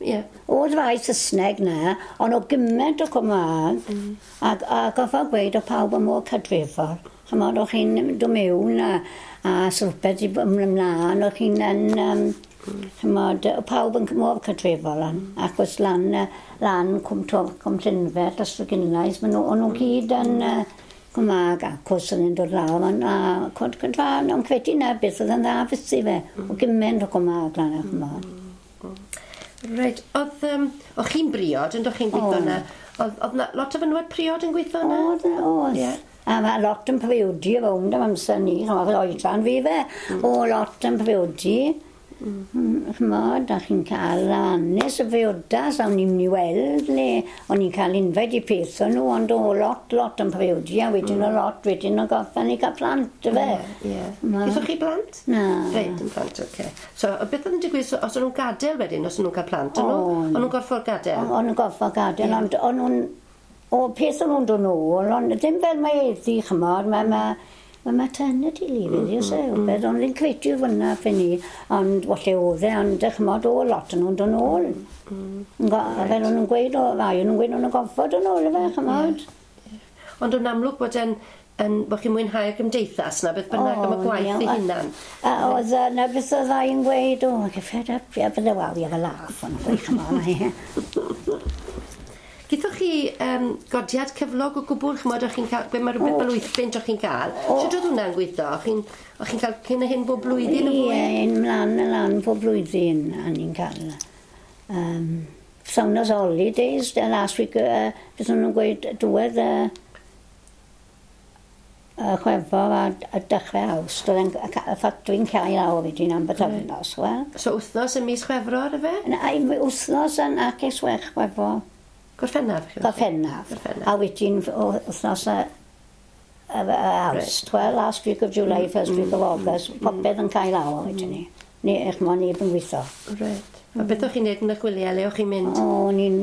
A: Ie.
B: Oedd rai Saesneg na, ond o gymaint o Gymraeg, a goffa gweud o pawb yn mor cadrifol. Chymod, o'ch chi'n dod mewn a srwbeth i ymlaen, o'ch chi'n yn, chymod, pawb yn mor cadrifol lan, achos lan, lan Cwm Twrch, Cwm Llynfell, Ystwyth maen nhw, o'n nhw gyd yn Cymraeg ac cwrs yn dod lawr, ond a cwnt ond credu na beth oedd yn dda fysi fe, o gymaint o Cymraeg lan, chymod.
A: Reit, oedd, o'ch chi'n briod, yn o'ch chi'n gweithio yna? Oedd na lot o fenywod priod yn gweithio yna?
B: Oedd, oedd. Yeah. A mae lot yn priodi rownd am amser ni, chymod, oedran fi fe. O, lot yn priodi. Chymod, a chi'n cael hanes y briodas, a o'n i'n mynd i weld le, o'n i'n cael invite i peth o'n nhw, ond o lot, lot yn priodi, a wedyn o lot, wedyn o gorffen i cael plant, fe.
A: Ie. Gaethoch chi blant?
B: Na.
A: Reit, yn plant, oce. So, beth oedd yn digwydd, os o'n nhw'n gadael wedyn, os o'n nhw'n cael plant, o'n nhw'n gorfod gadael?
B: O'n nhw'n gorfod gadael, ond o'n nhw'n, o peth o'n nhw'n dod nôl, ond ddim fel mae eddi, chymod, mae maternity leave iddi, oes e, beth, ond fi'n credu fyna ffyn ni, ond walle oedd e, ond chymod, o, lot yn nhw'n dod nôl. Fel o'n nhw'n gweud, o, rai o'n nhw'n gweud, o'n nhw'n gorfod yn ôl, efe, chymod.
A: Ond o'n amlwg bod yn, bod chi'n mwynhau'r gymdeithas na, beth bynnag am y gwaith ei hunan.
B: Oedd na beth oedd ddau yn gweud, o, I fed up, ie, bydde waw, i efo laugh, o'n gweud, chymod.
A: Gaethoch chi godiad cyflog o gwbl, chymod, o'ch chi'n cael, gwe mae rhywbeth fel 8 bunt o'ch chi'n cael. Sut oedd hwnna'n gweithio? O'ch chi'n cael cyn a hyn bob blwyddyn o fwy?
B: Ie, un mlaen a lan bob blwyddyn, a ni'n cael. Saunas holidays, the last week, beth o'n nhw'n gweud, diwedd Chwefror a dechrau Awst, oedd y ffatri'n cael lawr wedyn am bythefnos, wel.
A: So wythnos yn mis Chwefror, ife?
B: Na, wythnos yn ac eich Chwefror.
A: Gorffennaf?
B: Gorffennaf. A wedyn wythnos y Awst, well, last week of July, first week of August, popeth yn cael lawr wedyn ni. Ni, eich mo, neb yn gweithio.
A: Right. A beth o'ch chi'n neud yn y gwyliau, le o'ch chi'n mynd?
B: O'n i'n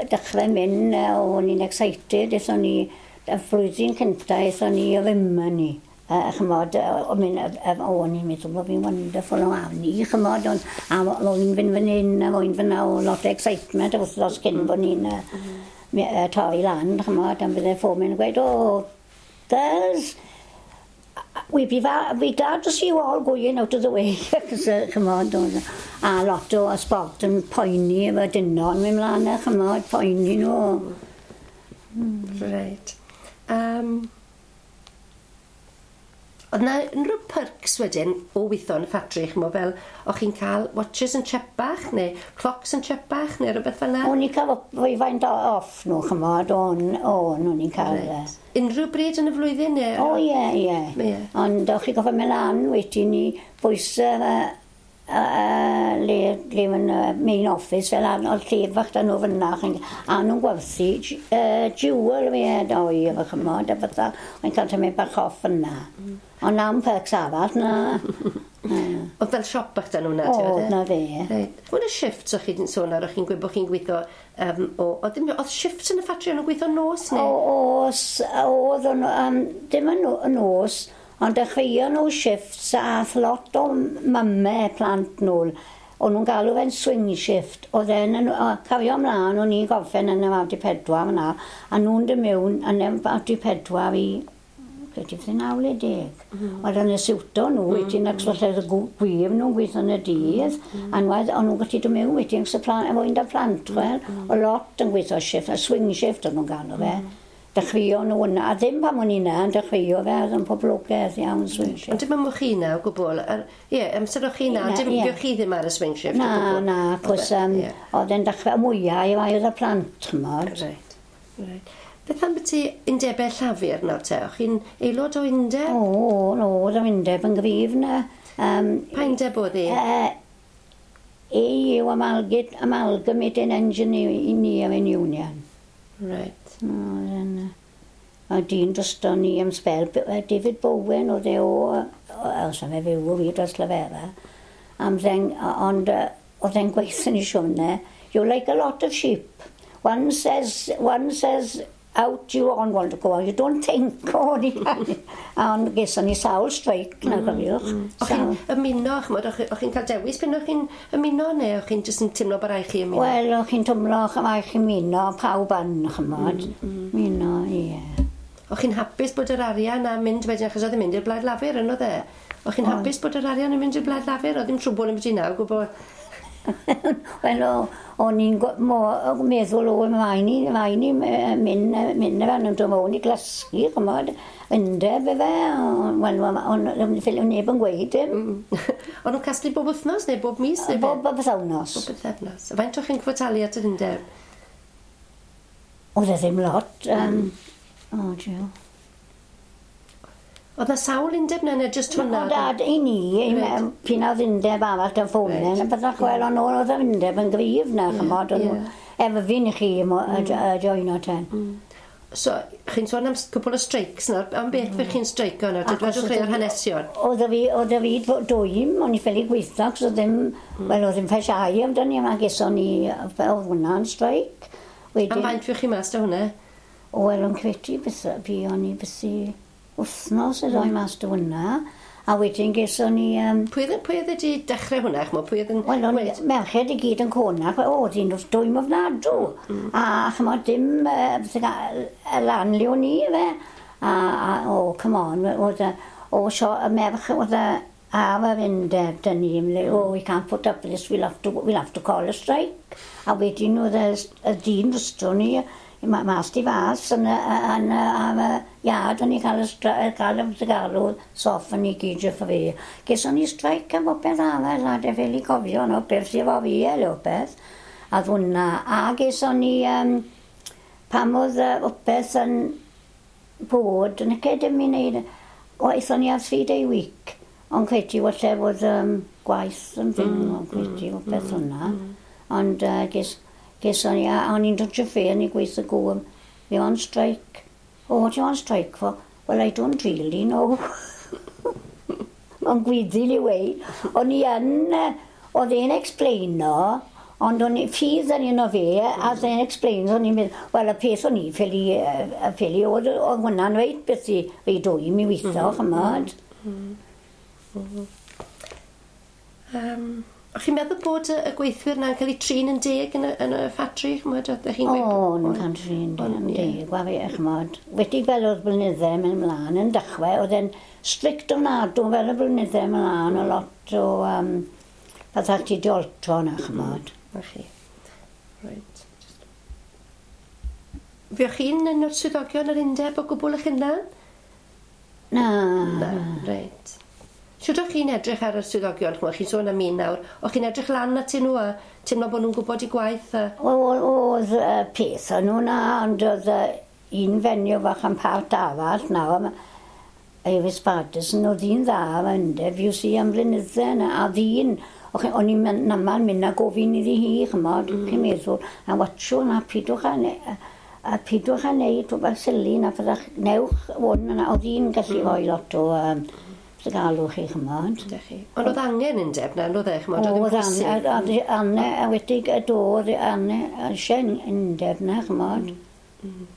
B: dechrau mynd, o'n i'n excited, aethon ni, y flwyddyn cyntaf, aethon ni o Rimini. Chymod, o'n i'n meddwl bod fi'n wonderful o ni, chymod, ond o'n i'n fynd fan hyn, a o'n i'n fynd o lot o excitement, a wythnos cyn bod ni'n torri lan, chymod, a bydde ffomen yn gweud, oh, girls, we'd be glad to see you all going out of the way. Chymod, a lot o sport yn poeni efo dynon, mynd mlaen, chymod, poeni nhw.
A: Right. Oedd na unrhyw perks wedyn o weithio yn y ffatri, chymod, fel o'ch chi'n cael watches yn chepach neu clocks yn chepach neu rhywbeth fel 'na?
B: O'n i'n cael rhywfaint off nhw, chymod, o'n i'n cael... Right.
A: Unrhyw bryd yn y flwyddyn neu?
B: O, ie, ie. Ond o'ch chi'n gofio mynd lan wedyn i bwysau le mae'n main office fel oedd lle fach da nhw fyna, a nhw'n gwerthu jewel fi oi efo chymod, a fatha, o'n cael tymud bach off fyna. Ond na'm perks arall, na.
A: Oedd fel siop bach da nhw na?
B: O, na fe.
A: Reit. Hwn y shifts o'ch chi'n sôn ar, o'ch chi'n gweud bod chi'n gweithio, oedd shifts yn y ffatri, o'n nhw'n gweithio nos neu?
B: Oes, oedd, dim yn nos, ond dechreuon nhw shifts a ath lot o mamau plant nôl. O'n nhw'n galw fe'n swing shift. Oedd e'n cario ymlaen, o'n i'n gorffen yn y 94 yna, a nhw'n dod mewn yn y 94 i credu fydd 9 neu 10. Oedd yn y siwto nhw wedyn, ac falle gwir nhw'n gweithio yn y dydd, a o'n nhw'n gallu dod mewn wedyn, efo un da plant, wel. O lot yn gweithio shift, a swing shift o'n nhw'n galw fe. Dechreuon nhw yna, a ddim pan o'n i yna, yn dechreuo fe, oedd yn poblogaidd iawn swing shift.
A: Ond dim am o'ch chi na o gwbl, ie, amser o'ch chi na, dim fuoch chi ddim ar y swing shift
B: o gwbl. Na, cos oedd e'n dechrau mwyaf i rai oedd y plant, chymod.
A: Reit, reit. Beth am byti undebau llafur nawr te? O'ch chi'n aelod o undeb?
B: O, oedd yr undeb yn gryf na.
A: Pa undeb oedd hi?
B: AU Amalgamated Engineering Union.
A: Right.
B: A dyn drosto ni am sbel, David Bowen oedd e o, os am e fyw o fi dros Lafera, ond oedd e'n gweithio ni siwrne, you're like a lot of sheep. One says out you on want to go out, you don't think, o'n i. Ond geson ni sawl streic na, cofiwch.
A: O'ch chi'n ymuno, ch'mod, o'ch chi'n cael dewis pan o'ch chi'n ymuno, neu o'ch chi'n jyst yn teimlo bod rhaid chi ymuno?
B: Wel, o'ch chi'n teimlo rhaid chi ymuno, pawb yn, ch'mod. Ymuno, ie.
A: O'ch chi'n hapus bod yr arian am mynd wedyn, achos oedd yn mynd i'r Blaid Lafur, yn oedd e? O'ch chi'n hapus bod yr arian yn mynd i'r Blaid Lafur? Oedd ddim trwbwl yn byd i nawr, gwybod?
B: Wel, o'n i'n meddwl o, mae ni mynd fel yn dod mewn i glasgu, chymod, undeb efe, wel, o'n neb yn gweud dim.
A: O'n nhw'n casglu bob wythnos neu bob mis?
B: Bob pythefnos.
A: Bob pythefnos. A faint o'ch chi'n cwrtalu at yr undeb?
B: Oedd e ddim lot. O, jiw.
A: Oedd na sawl undeb na, neu jyst hwnna?
B: Oedd i ni, pyn oedd undeb arall yn ffomen, a byddach wel, ond oedd yr undeb yn gryf na, chymod, efo fi'n i chi joino ten.
A: So, chi'n sôn am cwpl o streics nawr, am beth fe chi'n streico nawr? Dwedwch chi ar hanesion?
B: Oedd fi dwym, o'n i ffili gweithio, cos oedd ddim, wel, oedd ddim ffesiau amdani, a geson ni, oedd hwnna'n streic.
A: Am faint fuoch chi mas da hwnna?
B: O, wel, o'n credu, fi o'n i byth wythnos y ddoi mas dy hwnna, a wedyn geson ni...
A: Pwy oedd wedi dechrau hwnna, ch'mo? Pwy oedd yn...
B: Wel, o'n merched i gyd yn conach, o, dyn dwym ofnadw. A ch'mo, dim lan le o'n i, fe. A, o, come on, oedd o, y merch oedd ar yr undeb dyn ni, oh, we can't put up this, we'll have to call a strike. A wedyn oedd y dyn drosto ni, mas di fas yn y iard o'n i cael y galw soff yn i gyd o fi. Geson ni streic am bopeth arall a de fel i cofio no, beth sydd efo fi el beth. A hwnna. A geson ni pam oedd popeth yn bod, yn y dim i wneud, o, aethon ni ar 3 day week, ond credu falle bod gwaith yn fynd, ond credu o beth hwnna. Ond ges o'n i, a o'n i'n dod fe yn i gweithio gŵr, "We on strike." "Oh, what you on strike for?" "Well, I don't really know." Mae'n gwyddil i weud. O'n i yn, oedd e'n explaino, ond o'n i, ffydd yn un o fe, a oedd e'n explain, o'n i'n mynd, wel, y peth o'n i ffili, oedd hwnna'n reit beth i rei dwym i weithio, chymod.
A: O'ch chi'n meddwl bod y gweithwyr na'n cael eu trin yn deg yn y ffatri? Ch'mod, oeddech chi'n gweud?
B: O, nhw'n cael trin yn deg, wa fe, chymod. Wedi fel oedd blynydde mynd ymlaen yn dechrau, oedd e'n strict ofnadw fel y blynydde ymlaen, o lot o pethau ti di oltro na, chymod.
A: Na chi. Reit. Fuoch chi'n un o'r swyddogion yr undeb o gwbl eich hunan?
B: Na.
A: Na, reit. Shwt o'ch chi'n edrych ar y swyddogion? Ch'mod, chi'n sôn am un nawr. O'ch chi'n edrych lan atyn nhw a teimlo bod nhw'n gwybod eu gwaith? A...
B: Oedd peth o'n nhw na, ond oedd un fenyw fach am part arall nawr, Iris Patterson, oedd hi'n dda am undeb, you see, am blynydde na, a ddyn, o'n i'n namal mynd a gofyn iddi hi, chymod, chi'n meddwl, a watchwn, a pidwch a neud rhywbeth silly na fyddach, newch hwn, na, oedd hi'n gallu rhoi lot o galw chi, chymod.
A: Ydych chi. Ond oedd angen undeb na, oedd e, ch'mod, oedd yn
B: Oedd
A: bwysig.
B: Anne, a wedi y dod, Anne, eisiau undeb na, chymod.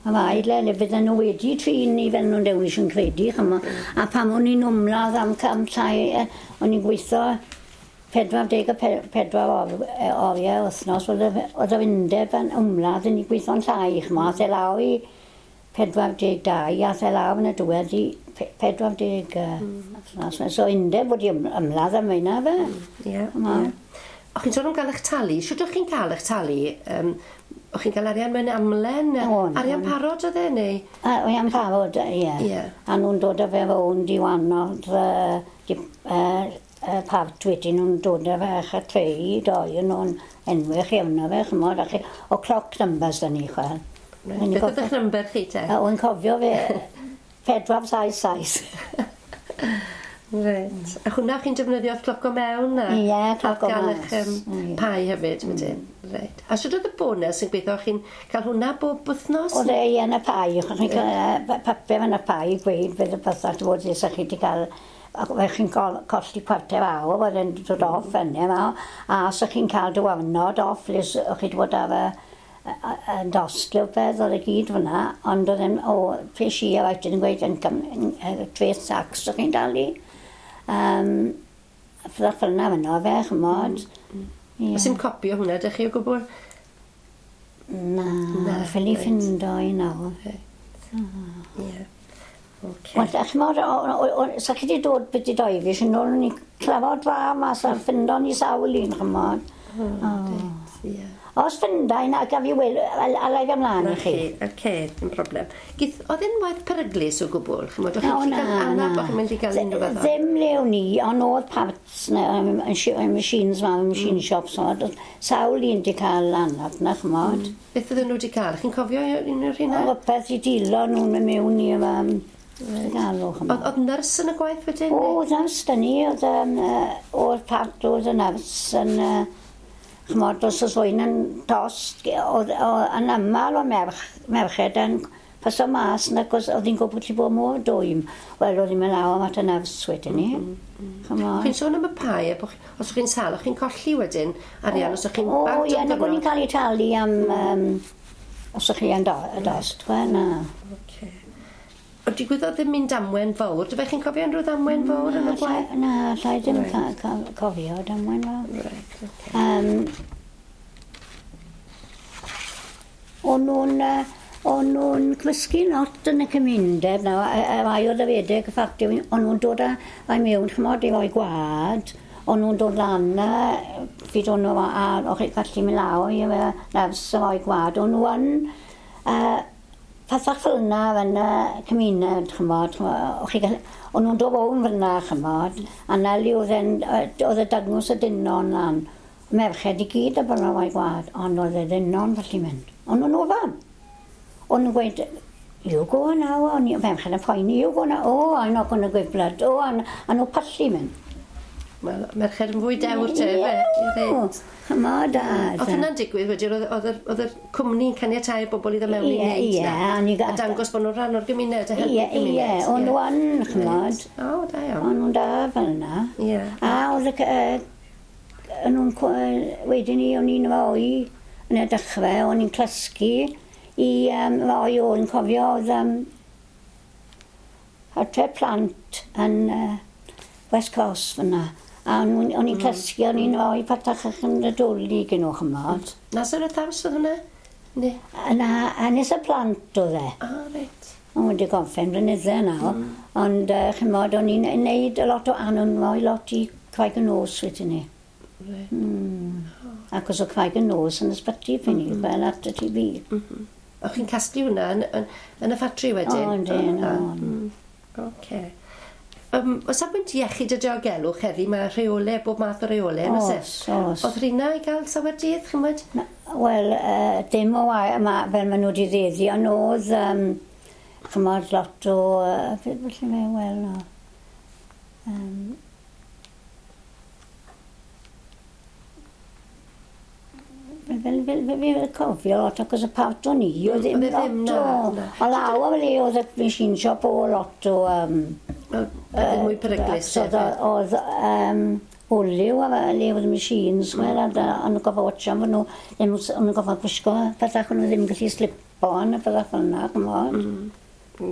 B: A mae le, le fydden nhw wedi trin ni fel nhw'n dewis yn credu, chymod. A pam o'n i'n ymladd am cam llai, o'n i'n gweithio 44 oriau wythnos, oedd yr undeb yn ymladd yn i gweithio'n llai, chymod, ath e lawr i 42, ath e lawr yn y diwedd i 40 wythnos. So undeb wedi ymladd am hynna fe.
A: Ie. O'ch chi'n sôn am gael eich talu. Shwt o'ch chi'n cael eich talu? O'ch chi'n cael arian mewn amlen?
B: O'n,
A: Arian
B: o'n.
A: parod oedd e, neu?
B: A arian parod, ie. A nhw'n dod â fe rownd i wanodd part wedyn nhw'n dod â fe ach a trei, doi yn nhw'n enwech iawn o fe, chymod, a chi, o clock numbers da ni, chwel.
A: Reit. Beth oedd eich number chi te?
B: A o'n cofio fe, 477.
A: Reit. A hwnna chi'n defnyddio wrth cloco mewn? A,
B: Ie, cloco
A: a gael
B: mas.
A: eich pai hefyd, wedyn. Reit. A sut oedd y bonus yn gweithio? Chi'n cael hwnna bob wythnos?
B: Oedd e yn y pai, o'ch chi'n cael papur yn y pai i gweud fydd y pethau bod lle chi'n wedi cael ac fe chi'n colli cwarter awr, oedd e'n dod off fyny yma, a os o'ch chi'n cael diwrnod off, le o'ch chi wedi bod ar y yn dost neu beth, oedd e gyd fyna, ond oedd e'n, o, pres i a wedyn yn gweud yn treth tax o'ch chi'n dalu. Fyddach fel yna fyno fe, chymod. Ie.
A: Oes dim copi o hwnna, ydych chi o gwbl?
B: Na,
A: Na,
B: ffili
A: reit.
B: ffindo i nawr.
A: Ie. Ocê.
B: Wel, ch'mod, sa chi wedi dod beth i doi fi, sy'n ôl ni clafod fa mas a ffindo ni sawl un, ch'mod.
A: Reit, ie.
B: Os ffinda i na, gaf i wel, alai fi ymlaen
A: Na
B: i chi.
A: chi, oce, dim problem. Gith, oedd e'n waith peryglus o gwbl? Ch'mod, o'ch
B: O,
A: chi'n
B: na,
A: cael anaf,
B: na.
A: o'ch chi'n mynd i gael unrhyw fath o...
B: Ddim le o'n i, ond oedd parts, na, machines ma, machine shops, oedd sawl un di cael anaf na, ch'mod.
A: Beth oedden nhw wedi cael? Chi'n cofio un o'r rheina?
B: Oedd peth i dilo nhw'n mynd mewn i galw, ch'mod.
A: Oedd nyrs yn y gwaith wedyn?
B: O, oedd nyrs da ni, oedd o'r part oedd y nyrs yn, ch'mod, os oes rhywun yn tost, oedd yn aml o merched yn paso mas, nag os oedd hi'n gwybod ti bod mor dwym. Wel, oedd hi'n mynd lawr at y nyrs wedyn ni. Ch'mod.
A: Chi'n sôn am y pai, a bo' os o'ch chi'n sâl, o'ch chi'n colli wedyn arian, os o'ch chi'n
B: O,
A: bant
B: ie,
A: o
B: nag o'n i'n
A: ddiwrnod.
B: cael ei talu am, os o'ch chi yn y dost, we, na.
A: Ocê. Ond digwyddodd ddim mynd damwen fawr. Dyfe chi'n cofio unrhyw ddamwen fawr yn y gwaith?
B: Na, llai ddim cofio damwen fawr.
A: Reit, ocê.
B: O'n nhw'n nhw'n cymysgu lot yn y cymuned nawr, a rai oedd y fedeg y ffactory, o'n nhw'n dod â rai mewn, ch'mod, i roi gwad, o'n nhw'n dod lan, pryd o'n nhw, a o'ch chi'n gallu mynd lawr i nyrs i roi gwad, o'n nhw yn, pethach fel yna yn y cymuned, ch'mod, o'n nhw'n dod rownd fel yna, ch'mod, a na le oedd e'n, oedd y dangos y dynon lan, merched i gyd a bod nhw'n rhoi gwad, ond oedd y dynon felly mynd. O'n nhw'n ofan. O'n nhw'n gweud, You go now, o'n i, ferched yn poeni, you go now, oh, I'm not gonna give blood, oh, a nhw pallu mynd.
A: Wel, merched yn fwy dewr te, fe?
B: Ie, chymod, a...
A: Oedd hynna'n digwydd wedyn, oedd yr cwmni'n caniatáu bobl i ddod mewn i wneud
B: na?
A: A dangos bod nhw'n rhan o'r gymuned a helpu'r gymuned.
B: Ie, o'n nhw yn, chymod.
A: O, da iawn.
B: O'n nhw'n da fel yna.
A: Ie.
B: A oedd y... O'n nhw'n... Wedyn ni, o'n i'n rhoi yn y dechrau, o'n i'n clysgu i roi o'n cofio oedd adre plant yn West Cross fyna. A o'n i'n cysgu, o'n i'n rhoi patach yn y dwli gen nhw, chymod.
A: Nazareth House oedd hwnna? Ne?
B: Na, Ynys y Plant oedd e.
A: Ah, reit.
B: O'n wedi gorffen blynydde nawr. Ond, chymod, o'n i'n neud a lot o anon, rhoi lot i Craig y Nos wedyn ni.
A: Reit.
B: Ac os o Craig y Nos yn ysbyty ffyn ni, fel at y TB.
A: O chi'n casglu hwnna yn y ffatri wedyn?
B: O, yndyn, o'n.
A: Oce. O safbwynt iechyd a diogelwch heddi, mae rheolau, bob math o rheolau, yn oes e?
B: Oes, oes.
A: Oedd rheina i gael sawer dydd, chymod?
B: Wel, dim o fel maen nhw wedi ddeddi, ond oedd, chymod, lot o... Felly fe, wel, no. Fel cofio lot, achos y part o'n i, oedd ddim lot o... O law o le oedd y machine shop o lot o...
A: Oedd mwy peryglus.
B: Oedd olew a le oedd y machines, wel, a o'n nhw'n gofio watch am fod nhw, o'n nhw'n gofio gwisgo pethau o'n nhw ddim gallu slipo yn y pethau fel yna, chymod.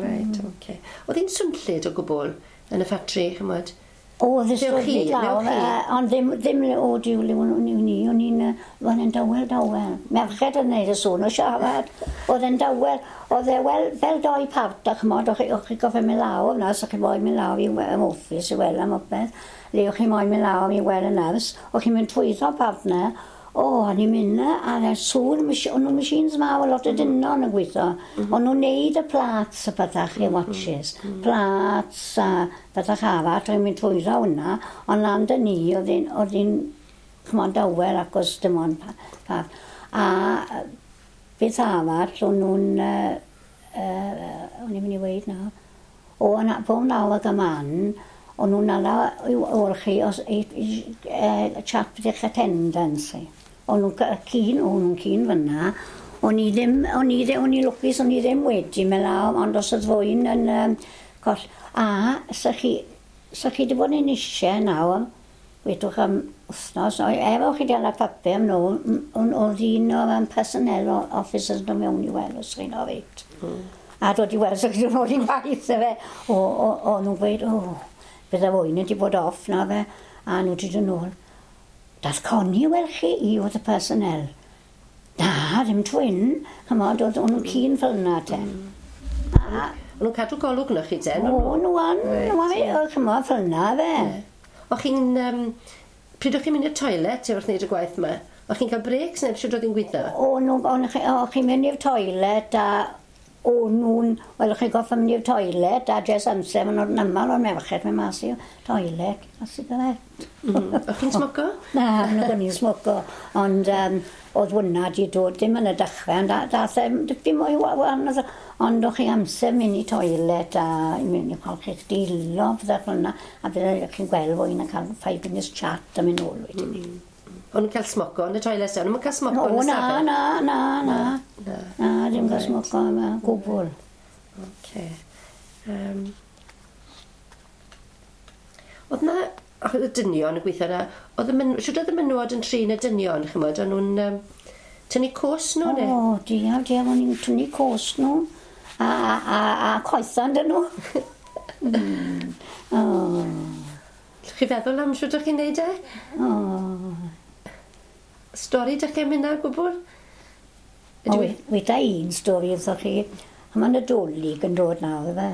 A: Reit, oce. Oedd hi'n swnllyd o gwbl yn y ffatri, chymod?
B: Oedd y swnllyd lawr, ond ddim o diwl o'n i, o'n i'n o'n dawel, dawel. Merched yn neud y sŵn o siarad, oedd e'n dawel, oedd e fel doi part, a chymod, o'ch chi gofio mynd lawr yna, so chi moyn mynd lawr i'r office i weld am opeth, le o'ch chi moyn mynd lawr i weld y nyrs, o'ch chi'n mynd trwyddo part na, o, o'n i'n mynd na, a sŵn, o'n nhw'n machines mawr, lot o dynon yn gweithio, o'n nhw'n neud y plats y pethach i watches, plats a pethach arall, o'n i'n mynd trwyddo hwnna, ond lan dyn ni, oedd hi'n chymod dawel achos dim ond part. A beth arall, o'n nhw'n, o'n i'n mynd i weud nawr, o, bob nawr ag y man, o'n nhw'n ala o'r chi os chat beth eich attendance. O'n nhw'n cyn fyna, o'n i ddim, o'n i lwcus, o'n i ddim wedi mynd lawr, ond os oedd fwy'n yn coll. A, sa chi wedi bod yn eisiau nawr, wedwch am wythnos, efo chi wedi papur am nhw, oedd un o'r personnel officers yn mewn i weld os chi'n orit. A dod i weld os chi'n dod i waith, efe. O, nhw'n gweud, o, bydde fwy'n wedi bod off na fe, a nhw wedi dod nôl. Dath Connie weld chi i oedd y personnel. Na, ddim twyn. Chymod, oedd nhw'n cyn fel yna te.
A: O'n nhw'n cadw golwg na chi te?
B: O, nhw an. Chymod, fel yna fe.
A: O chi'n... Pryd o'ch chi'n mynd i'r toilet wrth wneud y gwaith yma? O'ch chi'n cael breaks neu sut oedd hi'n gweithio?
B: O, chi'n mynd i'r toilet a o'n nhw'n... Wel, chi'n goffa mynd i'r toilet a jes amser, maen nhw'n aml o'r merched mynd mas i'r toilet a sigaret.
A: O'ch chi'n smoco?
B: Na, o'n i'n smoco, ond oedd hwnna di dod ddim yn y dechrau, ond dath e dipyn mwy wahanol, ond o'ch chi amser mynd i toilet a mynd i golchi'ch dilo, pethau fel yna, a bydde chi'n gweld fwy na cael 5 minutes chat a mynd nôl wedyn ni.
A: O'n nhw'n cael smoco yn y toilet, o'n nhw'n cael smoco yn y stafell?
B: Na. Na, ddim cael smoco yma, gwbl.
A: Oce. Oedd na, oedd y dynion yn gweithio yna, siwr oedd y menywod yn trin y dynion, chymod, o'n nhw'n tynnu cos nhw, ne?
B: O, diaf, o'n nhw'n tynnu cos nhw, a coethan dyn nhw.
A: Llwch chi feddwl am siwr o'ch chi'n neud e?
B: O.
A: Stori dych chi am hynna gwbl?
B: Weda un stori wrthoch chi. A mae'n Nadolig yn dod nawr, efe.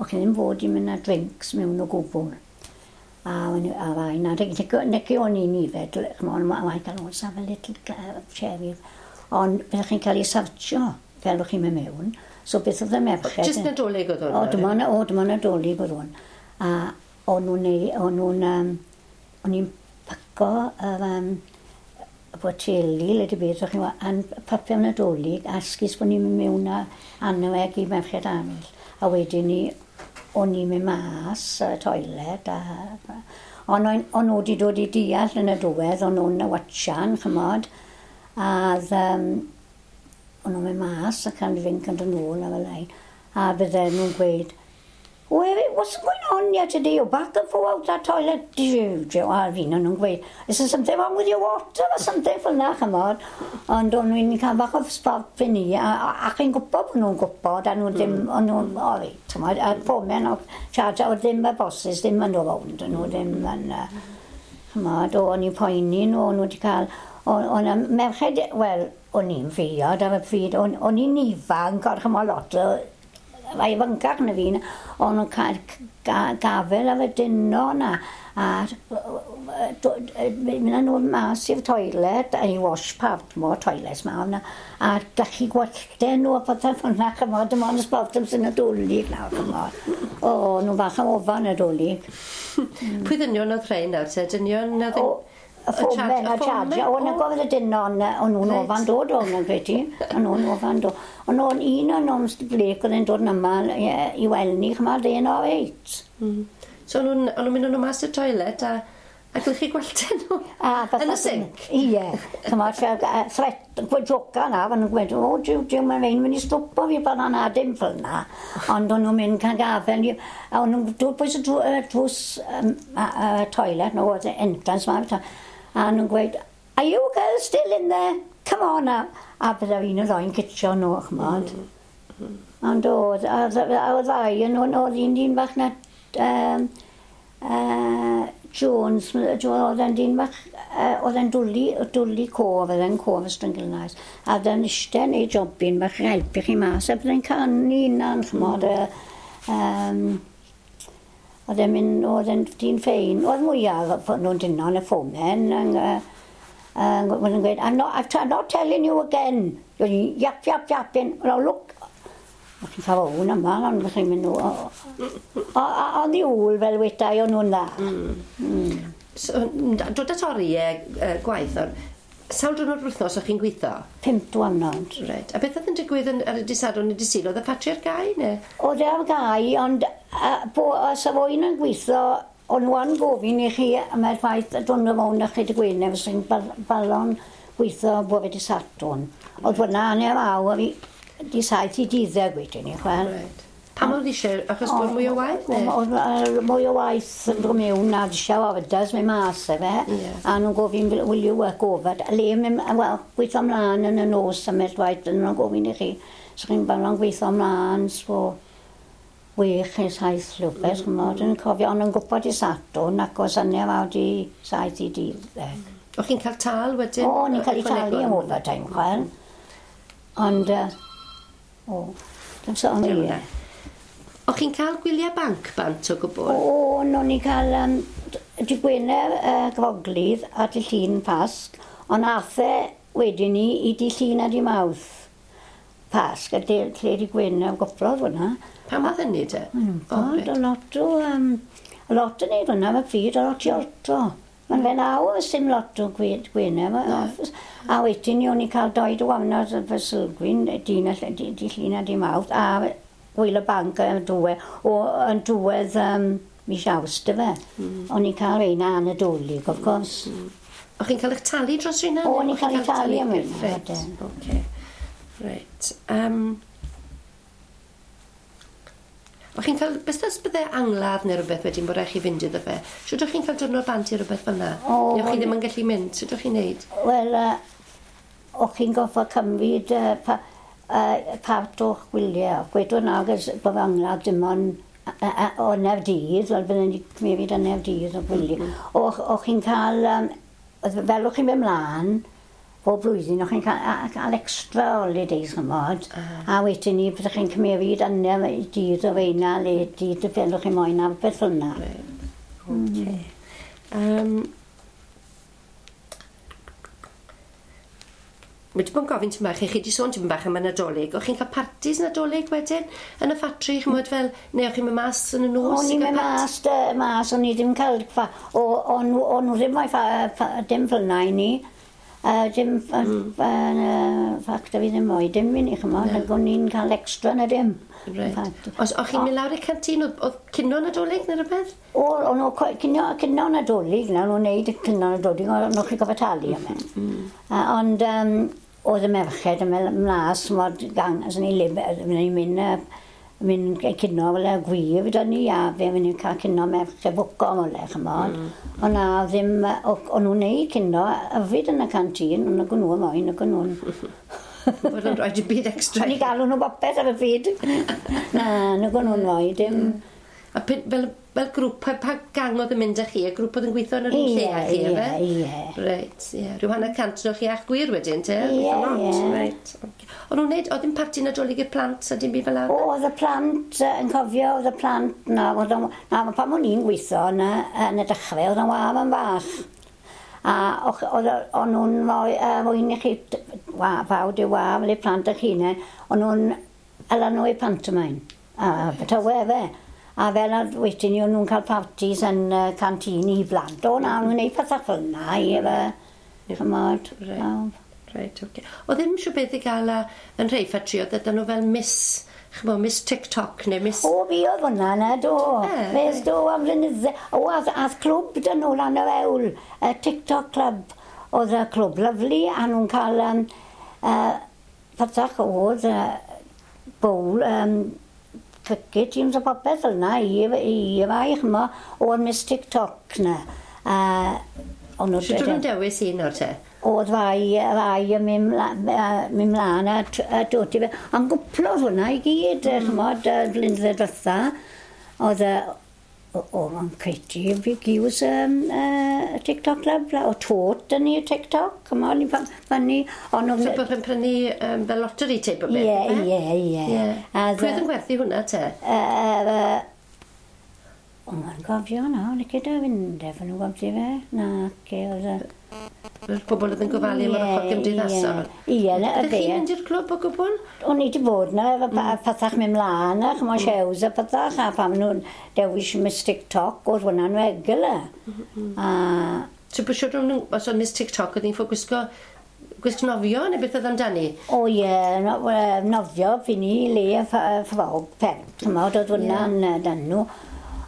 B: O'ch chi ddim fod i mynd â drinks mewn o gwbl. A rai na, nec o'n i'n ifed, ch'mod, I can always have a little cherry. Ond byddech chi'n cael ei sartio fel o'ch chi'n mynd mewn. So beth oedd y merched...
A: Jyst Nadolig oedd hwn?
B: O, dyma Nadolig oedd hwn. A o'n nhw'n... O'n i'n paco yr... boteli, le di beth, o'ch chi'n yn papur Nadolig, a esgus bod ni'n mynd mewn a anweg i merched arall. A wedyn ni, o'n i'n mynd mas y toilet. A, ond o'n nhw wedi dod i deall yn y diwedd, o'n nhw'n watchan, chymod, a o'n nhw'n mynd mas ac yn fynd yn ôl a fel ein. A bydden nhw'n gweud, "What's going on here today? You're back and forth out that toilet." A fi nhw'n gweud, "Is there something wrong with your water or something fel na, chymod?" Ond o'n nhw'n cael bach o sport fy ni, a chi'n gwybod bod nhw'n gwybod, a nhw ddim, o'n nhw'n, o reit, chymod, a foreman o charge, oedd ddim y bosses, ddim yn dod rownd, o'n nhw ddim yn, chymod, o'n i'n poeni nhw, o'n nhw wedi cael, o'n merched, wel, o'n i'n fiod ar y pryd, o'n i'n ifanc, ond chymod lot o, mae ifancach na fi, o'n nhw'n cael gafel ar y dynon a mynd â nhw mas i'r toilet, a i wash part more toilets ma, a gallu gwelltau nhw a pethau fel 'na, chymod, dim ond y sbort am sy'n Nadolig nawr, chymod. O, nhw'n bach am ofan Nadolig.
A: Pwy ddynion oedd rhain nawr te? Dynion oedd
B: yn... Y foreman a charge. O, na gofyn y dynon, o'n nhw'n ofan dod o'n nhw'n credu. O'n nhw'n ofan dod. Ond o'n un o'n nhw'n Mr Blake oedd yn dod yn yma i weld ni, chymod, e'n o reit.
A: So o'n nhw'n mynd nhw mas i'r toilet a glychu gwelltau nhw yn y sinc?
B: Ie. Chymod, threat, gweud na, fan nhw'n gweud, "O, jiw, jiw, mae'n fe'n mynd i stopo fi pan yna," dim fel na. Ond o'n nhw'n mynd cael gafel, a o'n nhw'n dod bwys y drws toilet, no, oedd entrance ma, a nhw'n gweud, "Are you girls still in there? Come on now." A bydde un o ddoi'n citsio nhw, chymod. Ond oedd, a oedd ddau yn nhw, oedd un dyn bach na, Jones, oedd e'n dyn bach, oedd e'n dwlu cof, oedd e'n cof Ystwyngilnais. A oedd e'n eistedd neu jobyn bach yn helpu chi mas, a bydde'n canu na'n, chymod, oedd e'n mynd, oedd e'n dyn ffein. Oedd mwyaf nhw'n dynon y foremen, yn gweud, I'm not telling you again. Yap, yap, yapping. Well, look." O'ch chi'n cael o'n yma, ond chi'n mynd ond i ôl fel wetai o'n nhw'n dda.
A: So, dod at oriau gwaith, ond sawl diwrnod wythnos o'ch chi'n gweithio?
B: 5 diwrnod.
A: Reit. A beth oedd yn digwydd ar y dydd Sadwrn neu dydd Sul? Oedd y ffatri ar gau, neu?
B: Oedd e ar gau, ond os oedd un yn gweithio, o'n nhw'n gofyn i chi am y ffaith dod yn mewn a chi dy Gwener, fysa chi'n balon gweithio bore dydd Sadwrn. Oedd hwnna hanner awr i di 7 i 12 wedyn ni, chwel.
A: Reit. Pam oedd eisiau? Achos bod mwy o waith, neu?
B: Oedd mwy o waith yn dod mewn a eisiau orders mynd mas e fe. A nhw'n gofyn, "Will you work over?" Le, wel, gweithio ymlaen yn y nos am y waith, yn nhw'n gofyn i chi. So chi'n balon gweithio ymlaen, so 6 neu 7 rhywbeth, chymod, yn cofio, ond yn gwybod i Sadwrn ac oes 7:30 i 12.
A: O'ch chi'n cael tal wedyn?
B: O, ni'n cael ei talu am overtime, chwel. Ond, o, dim sôn i.
A: O'ch chi'n cael gwyliau banc bant o gwbl?
B: O, no, ni'n cael dy Gwener Groglydd a dy Llun Pasg, ond ath e wedyn ni i dy Llun a dy Mawrth Pasg, a lle dy Gwener goplodd hwnna.
A: Pam oedd hynny te?
B: O, reit. A lot o neud hwnna, mae pryd, a lot i olto. Mae'n fe nawr, sim lot o Gwener. A wedyn ni o'n i cael doi diwrnod fy Sylgwyn, dy Llun a dy Mawrth, a gwyl y banc yn diwedd, yn diwedd mis Awst, y fe. O'n i'n cael ein an Nadolig, of course.
A: O'ch chi'n cael eich talu dros rheina?
B: O, o'n i'n cael ei talu am hynna,
A: Reit, oce. Reit. O'ch chi'n cael, beth os bydde angladd neu rhywbeth wedyn bod rhaid chi fynd iddo fe? Shwt o'ch chi'n cael diwrnod bant i rhywbeth fel 'na? O, Neu o'ch chi ddim yn gallu mynd? Sut o'ch chi'n neud?
B: Wel, o'ch chi'n goffo cymryd part o'ch gwyliau. Gwedwn nawr bod angladd dim ond o dydd, wel bydden ni cymryd yn dydd o gwyliau. O'ch chi'n cael, fel o'ch chi'n mynd mlaen, bob blwyddyn, o'ch chi'n cael extra holidays, chymod. A wedyn ni, byddech chi'n cymryd dydd o feina, le dydd y fel o'ch chi'n moyn a beth fel 'na.
A: Reit. Oce. Wedi bod yn gofyn tipyn bach, chi wedi sôn tipyn bach am y Nadolig. O'ch chi'n cael partis Nadolig wedyn yn y ffatri, ch'mod fel, neu o'ch chi'n mynd mas yn y nos?
B: O'n i'n mynd mas, mas, o'n i ddim cael, o, o'n nhw ddim moyn dim fel 'na i ni. Dim ffactor fi ddim oed, dim i ni, chymod, ac o'n i'n cael extra na dim.
A: Right. Os o'ch chi'n mynd lawr i'r canteen, oedd cinio Nadolig neu rhywbeth?
B: O, o'n nhw cinio Nadolig, na, nhw'n neud y cinio Nadolig, o'n nhw'n chi'n gofio talu am e. Ond oedd y merched yn mynd mlas, mod gang, as ni'n mynd mynd cinio fel y gwir gyda ni a fe mynd i'n cael cinio merched bwco am ole, chymod. Ond na ddim, o'n nhw'n neud cinio yfyd yn y canteen, ond o'n nhw moyn, o'n nhw'n...
A: Bod nhw'n rhoi dim byd extra.
B: O'n i galw nhw bopeth ar y pryd. Na, nhw'n nhw'n rhoi dim...
A: A fel grŵp, pa gang oedd yn mynd â chi? Y grŵp oedd yn gweithio yn yr un lle â chi,
B: efe? Ie, ie.
A: Reit, ie. Rhyw 150 o'ch chi a'ch gwir wedyn, te?
B: Ie, ie.
A: Reit. O'n nhw'n neud, oedd ddim parti Nadolig i'r plant a dim byd fel 'na?
B: O, oedd y plant, yn cofio, oedd y plant, na, pan o'n i'n gweithio yn y dechrau, oedd yn waf yn fach. A o'n nhw'n moyn i chi, fawd i waf, fel i plant eich hunain, o'n nhw'n ala nhw i pantomime. A tawe fe. A fel wedyn ni, o'n nhw'n cael parties yn canteen i blant. O na, o'n nhw'n gwneud pethau fel yna i efo, chymod.
A: Reit, oce. Oedd ddim siw beth i gael yn rhai ffatri, oedd ydyn nhw fel Miss, chymod, Miss TikTok neu Miss...
B: O, fi oedd hwnna na, do. Fes do am flynydde. O, ath clwb dyn nhw lan yr ewl, y TikTok Club. Oedd y clwb lyfli, a nhw'n cael pethach oedd, bowl, cricket teams a popeth fel yna i fai, chymod, o'r Miss TikTok na.
A: Sut o'n nhw'n dewis un o'r te?
B: Oedd fai yn mynd mlaen a dod i fe. Ond gwplodd hwnna i gyd, chymod, blynyddoedd diwetha. Oedd o, mae'n credu fi giws TikTok Club, o tot yn i TikTok, chymod, ni'n fyny.
A: So bod chi'n prynu fel lottery type o beth?
B: Ie, ie.
A: Pwy oedd yn gwerthu hwnna te?
B: O, mae'n gofio na, o'n i gyda fynd efo nhw gofio fe. Na, ce, oedd y...
A: Fel pobl oedd yn gofalu am yr ochr gymdeithasol?
B: Ie, na,
A: y fe. Ydych chi'n mynd i'r clwb o gwbl?
B: O'n i wedi bod na, efo pethach mynd mlaen, a chymod shows a pethach, a pam nhw'n dewis Miss TikTok, oedd hwnna'n regular.
A: So, beth siwr os oedd Miss TikTok, oedd hi'n ffo gwisgo gwisg nofio, neu beth oedd amdani?
B: O ie, nofio, fi ni, le, ffrog, pen, chymod, oedd hwnna'n dan nhw.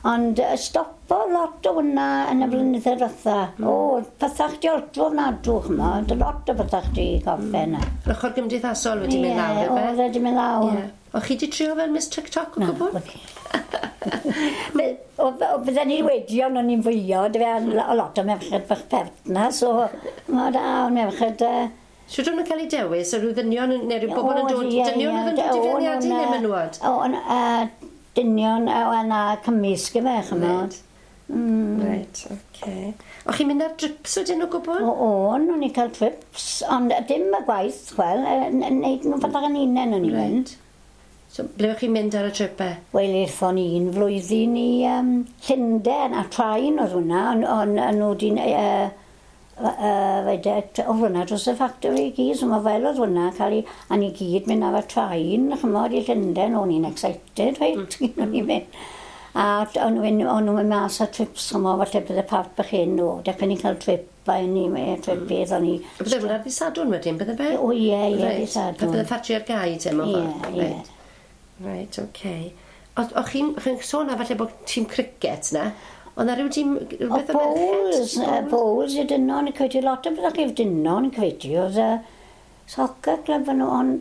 B: Ond stopo lot o hwnna yn y blynyddoedd diwetha. O, pethach di oltro ofnadw, chymod, lot o pethach di gorffen.
A: Yr ochr gymdeithasol wedi mynd lawr,
B: efe? Ie, oedd wedi mynd lawr.
A: O, chi di trio fel Miss TikTok o gwbl?
B: Na, bydden ni wedi, ond o'n i'n fwyo, o lot o merched bach pert na, so, ma da, o'n merched...
A: Shwt o'n nhw'n cael eu dewis, o rhyw ddynion, neu rhyw bobl yn dod, dynion oedd yn dod i feirniadu neu menywod?
B: O, dynion a cymysg efe, chymod.
A: Reit, oce. O chi'n mynd ar trips wedyn o gwbl?
B: O, o'n i'n cael trips, ond dim y gwaith, chwel, neud nhw pethach yn unen o'n i'n mynd.
A: So, ble o'ch chi'n mynd ar y tripau?
B: Wel, aethon ni un flwyddyn i Llundain, a train oedd hwnna, ond nhw di... oedd hwnna dros y factory i gyd, so mae fel oedd hwnna cael ei, a ni gyd mynd ar y train, chymod, i Llundain, o'n i'n excited, reit, o'n i'n mynd. A o'n nhw'n mynd mas ar trips, chymod, falle bydde part bach hyn, o, dechrau ni'n cael trip, a ni, trip beth, o'n i...
A: Bydde hwnna ddydd Sadwrn wedyn, bydde fe?
B: O, ie, ie, dydd Sadwrn.
A: Bydde ffatri ar gau, te, mewn
B: ffordd? Ie, ie.
A: Reit, oce. O'ch chi'n sôn a falle bod tîm cricket na? Oedd na rhyw tîm, rhywbeth
B: o merched? O, bowls i dynon, yn credu lot o bethau chi'n dynon, yn credu, oedd y soccer club yn ond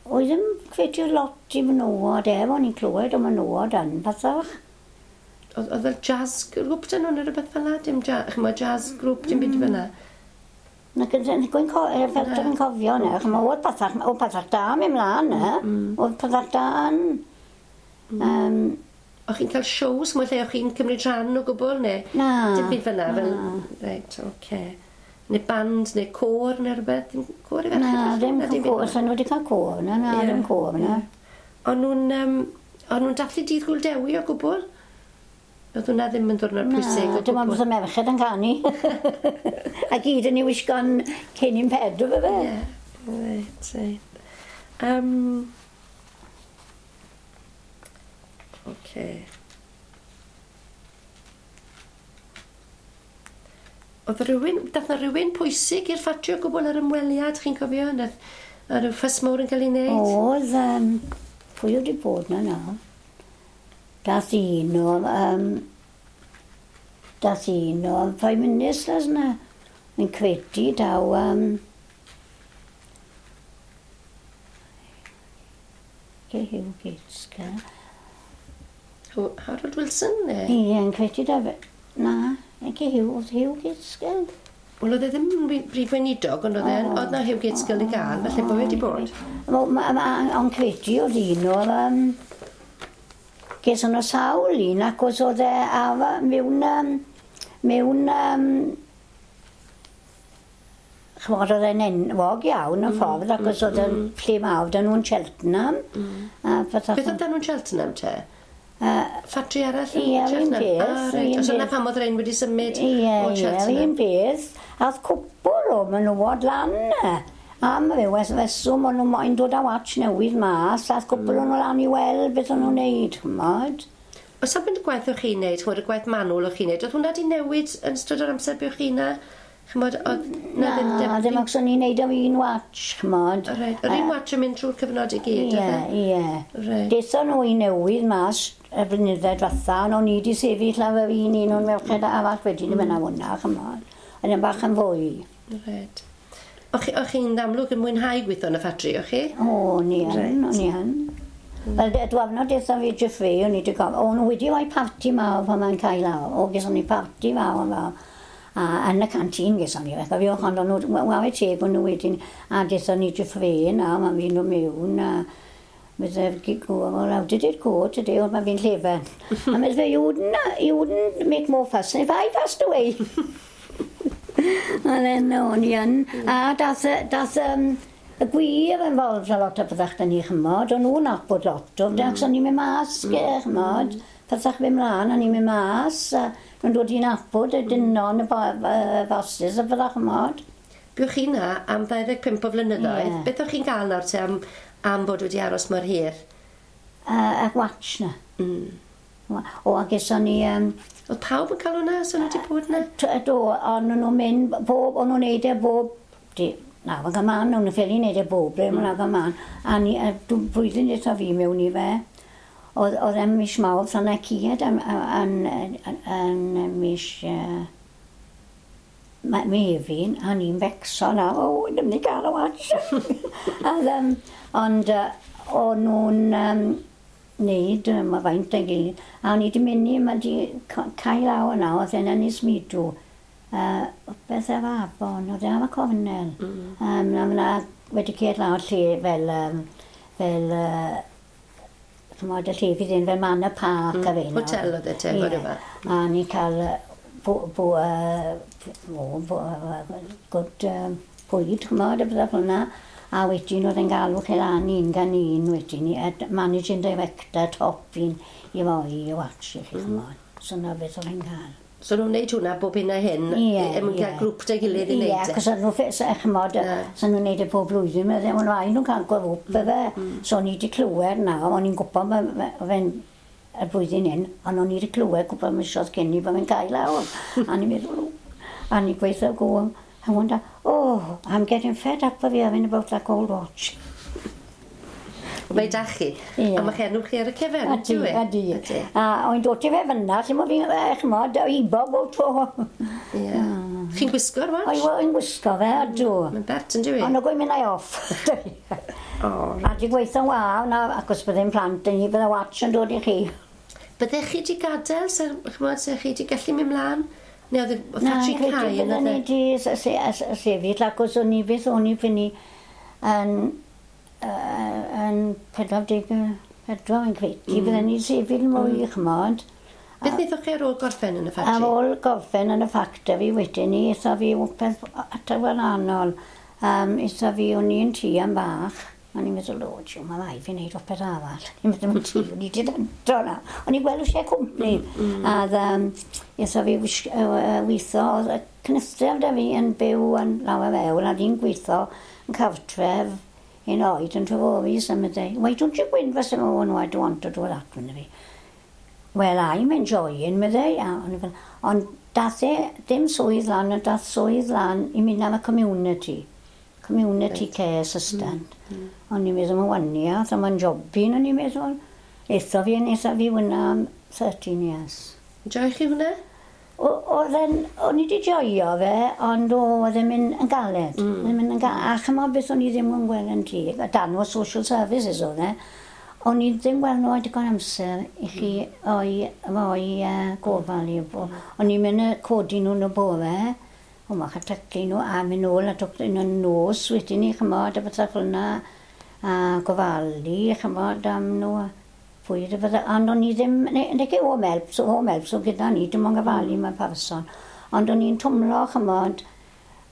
B: oedd ddim credu lot i menywod efo, o'n i'n clywed o menywod yn pethach.
A: Oedd fel jazz grŵp dyn nhw neu rhywbeth fel 'na? Dim jazz, jazz grŵp, dim byd fel 'na?
B: Na, dwi'n cofio na, chymod, oedd pethach da mynd mlaen na, oedd pethach da yn...
A: O'ch chi'n cael shows, mwy lle o'ch chi'n cymryd rhan o gwbl, neu?
B: Na.
A: Dim byd fel 'na, fel... Reit, oce. Neu band, neu côr, neu rhywbeth, dim côr i ferched?
B: Na, ddim côr, sa'n nhw wedi cael côr, na, na, ddim côr, na.
A: O'n nhw'n dathlu Dydd Gŵyl Dewi o gwbl? Oedd hwnna ddim yn ddwrnod pwysig o gwbl?
B: Na, dim ond bod y merched yn canu. A gyd yn ei wisgo'n cennin Pedr, fe?
A: Ie, reit, reit. Oce. Oedd rhywun, dath na rhywun pwysig i'r ffatri o gwbl ar ymweliad, chi'n cofio? Nath, a rhyw ffys mawr yn cael ei wneud?
B: Oedd, pwy oedd wedi bod na nawr? Dath un o, dath un o Prime Ministers na. Yn credu daw, Hugh Gaitskell.
A: Harold Wilson, ne?
B: Ie, yn credu da fe. Na, ag Hugh, oedd Hugh Gaitskell.
A: Wel, oedd e ddim yn brif weinidog, ond oedd e, oedd na Hugh Gaitskell i gael, felly bod wedi bod.
B: Ond credu oedd un o'r... Ges o'n o sawl un, ac os oedd e mewn... mewn ch'mod, oedd e'n enwog iawn yn ffordd, ac os oedd e'n lle mawr, dyn nhw'n Cheltenham.
A: Beth oedd dyn nhw'n Cheltenham te? Ffatri arall
B: yn Cheltenham? Ie, un peth.
A: Reit. Os yna pam oedd rhain wedi symud o Cheltenham?
B: Ie, un peth. A oedd cwpl o menywod lan. Am ryw reswm, o'n nhw moyn dod â watch newydd mas, a oedd cwpl o'n nhw lan i weld beth o'n nhw'n neud, ch'mod.
A: Os am y gwaith o'ch chi'n neud, ch'mod, y gwaith manwl o'ch chi'n neud, oedd hwnna wedi newid yn ystod yr amser buoch chi na? Ch'mod, oedd...
B: Na, ddim achos o'n i'n neud am un watch, ch'mod.
A: Reit, yr un watch yn mynd trwy'r cyfnod i gyd,
B: oedd e? Ie, ie. Dethon nhw i newydd mas y blynyddoedd diwetha, ond o'n i wedi sefyll ar yr un un o'n merched arall wedyn yn mynd am hwnna, ch'mod. Oedd e'n bach yn fwy.
A: Reit. O'ch chi'n amlwg yn mwynhau gweithio yn y ffatri, o'ch chi?
B: O, ni yn, o'n i yn. Wel, dwrnod dethon fi Jeffrey, o'n i wedi gofyn, o'n nhw wedi rhoi parti mawr pan mae'n cael lawr. O, geson ni parti mawr yn fawr. A yn y canteen geson ni, felly fiwch, ond o'n nhw, ware teg o'n nhw wedyn, a dethon ni Jeffrey na, mae'n fi'n nhw mewn, a medde, well, how did it go today? Oedd mae'n fi'n llefen. A medde fe, you wouldn't make more fuss if I passed away. A then, o'n i yn. A dath y gwir involved a lot o byddach da ni, chymod. O'n nhw'n nabod lot o, ac o'n i'n mynd mas, chymod. Byddach fynd mlaen, o'n i'n mynd mas. Nhw'n dod i'n nabod y dynon, y bosses, a byddach, chymod.
A: Buoch chi na am 25 o flynyddoedd. Yeah. Beth o'ch chi'n gael nawr te am bod wedi aros mor hir?
B: Y watch na. O, a geson ni...
A: Oedd pawb yn cael hwnna, so nhw wedi bod yna?
B: Do, ond nhw'n mynd, bob, o'n nhw'n neud e bob... Na, mae'n gyman, o'n nhw'n ffili neud e bob, ble, mae'n gyman. A ni, blwyddyn dwytha fi mewn i fe, oedd e'n mis Mawrth, ond e cyd yn mis... Mefin, a ni'n becso na, o, ddim wedi cael y watch. Ond o'n nhw'n neud, mae faint a'i gilydd, a o'n i wedi mynd i, mae wedi cael lawr yna, oedd e'n Ynys Midw, beth efo afon, oedd e'n am y cornel. Na, wedi ced lawr lle fel, ch'mod, y lle fydd un fel Manor Park a fe.
A: Hotel oedd e te, fod yma.
B: A ni'n cael good bwyd, ch'mod, a bydda hwnna. A wedyn oedd e'n galw chi lan un gan un wedyn, managing director top un i roi i watch i chi, ch'mod. So na beth oedd e'n cael.
A: So nhw'n neud hwnna bob hyn a hyn, er mwyn cael grŵp dy gilydd i neud e?
B: Ie, achos nhw, ch'mod, so nhw'n neud e pob blwyddyn, o'n rhaid nhw'n cael grŵp efe. So o'n i wedi clywed na, o'n i'n gwybod fe'n y blwyddyn hyn, ond o'n i wedi clywed gwybod misoedd cyn i bod fe'n cael lawr. A ni'n meddwl, a ni'n gweithio go, I wonder, oh, I'm getting fed up of hearing about that gold watch.
A: Mae da chi. A mae enw chi ar y cefen, ydy?
B: Ydy. A o'n dod i fe fyna, lle mae fi'n, ch'mod, ibo bob tro.
A: Ie. Chi'n gwisgo'r watch?
B: O'n gwisgo fe, ydw.
A: Mae'n bert yn dwi?
B: Ond o'n mynd o'i off. A di gweithio'n waw, na, ac os byddai'n plant yn ni, bydde watch yn dod i chi.
A: Byddech chi wedi gadael, ch'mod, se chi wedi gallu mynd mlaen? Neu oedd ffatri cau yn
B: oedd e? Na, credu bydden ni wedi sefyll, ac os o'n i beth o'n i fyny yn 44 yn credu, bydden ni sefyll mwy, ch'mod.
A: Beth wnaethoch chi ar ôl gorffen yn y ffatri?
B: Ar ôl gorffen yn y ffactori wedyn ni, eitha fi wpeth at y wahanol. Eitha fi, o'n i'n tŷ am bach, o'n i'n meddwl, o, jiw, mae rhaid fi wneud wpeth arall. O'n i'n meddwl, tŷ, o'n i wedi dando na. O'n i'n gweld eisiau cwmni. A eitha fi weithio, oedd y cynystaf da fi yn byw yn lawer fewn, a fi'n gweithio yn cartref un oed yn Treforys, a meddai, why don't you go in for some more? No, I don't want to do that, meddai fi. Well, I'm enjoying, meddai. Ond Dath e dim swydd lan, ond dath swydd lan i mynd am y community. Community right. Care assistant. O'n i'n meddwl, mae'n waniaeth, a mae'n jobyn, o'n i'n meddwl. Eitho fi yn eitha fi hwnna am 13 years.
A: Joio chi hwnna?
B: Oedd e'n, o'n i wedi joio fe, ond oedd e'n mynd yn galed. Oedd e'n mynd yn galed. A chymod beth o'n i ddim yn gweld yn teg, a dan o social services oedd e, o'n i ddim gweld nhw digon amser i chi o'i, o'i gofal i. O'n i'n mynd y codi nhw yn y bore, o mach a taclu nhw, a mynd nôl a toclu nhw yn nos wedyn ni, chymod, a bethau fel yna, a gofalu, chymod, am nhw, fwyd a bethau. Ond o'n i ddim, neu home help, so home help, so gyda ni, dim ond gofalu mae'n person. Ond o'n i'n twmlo, chymod,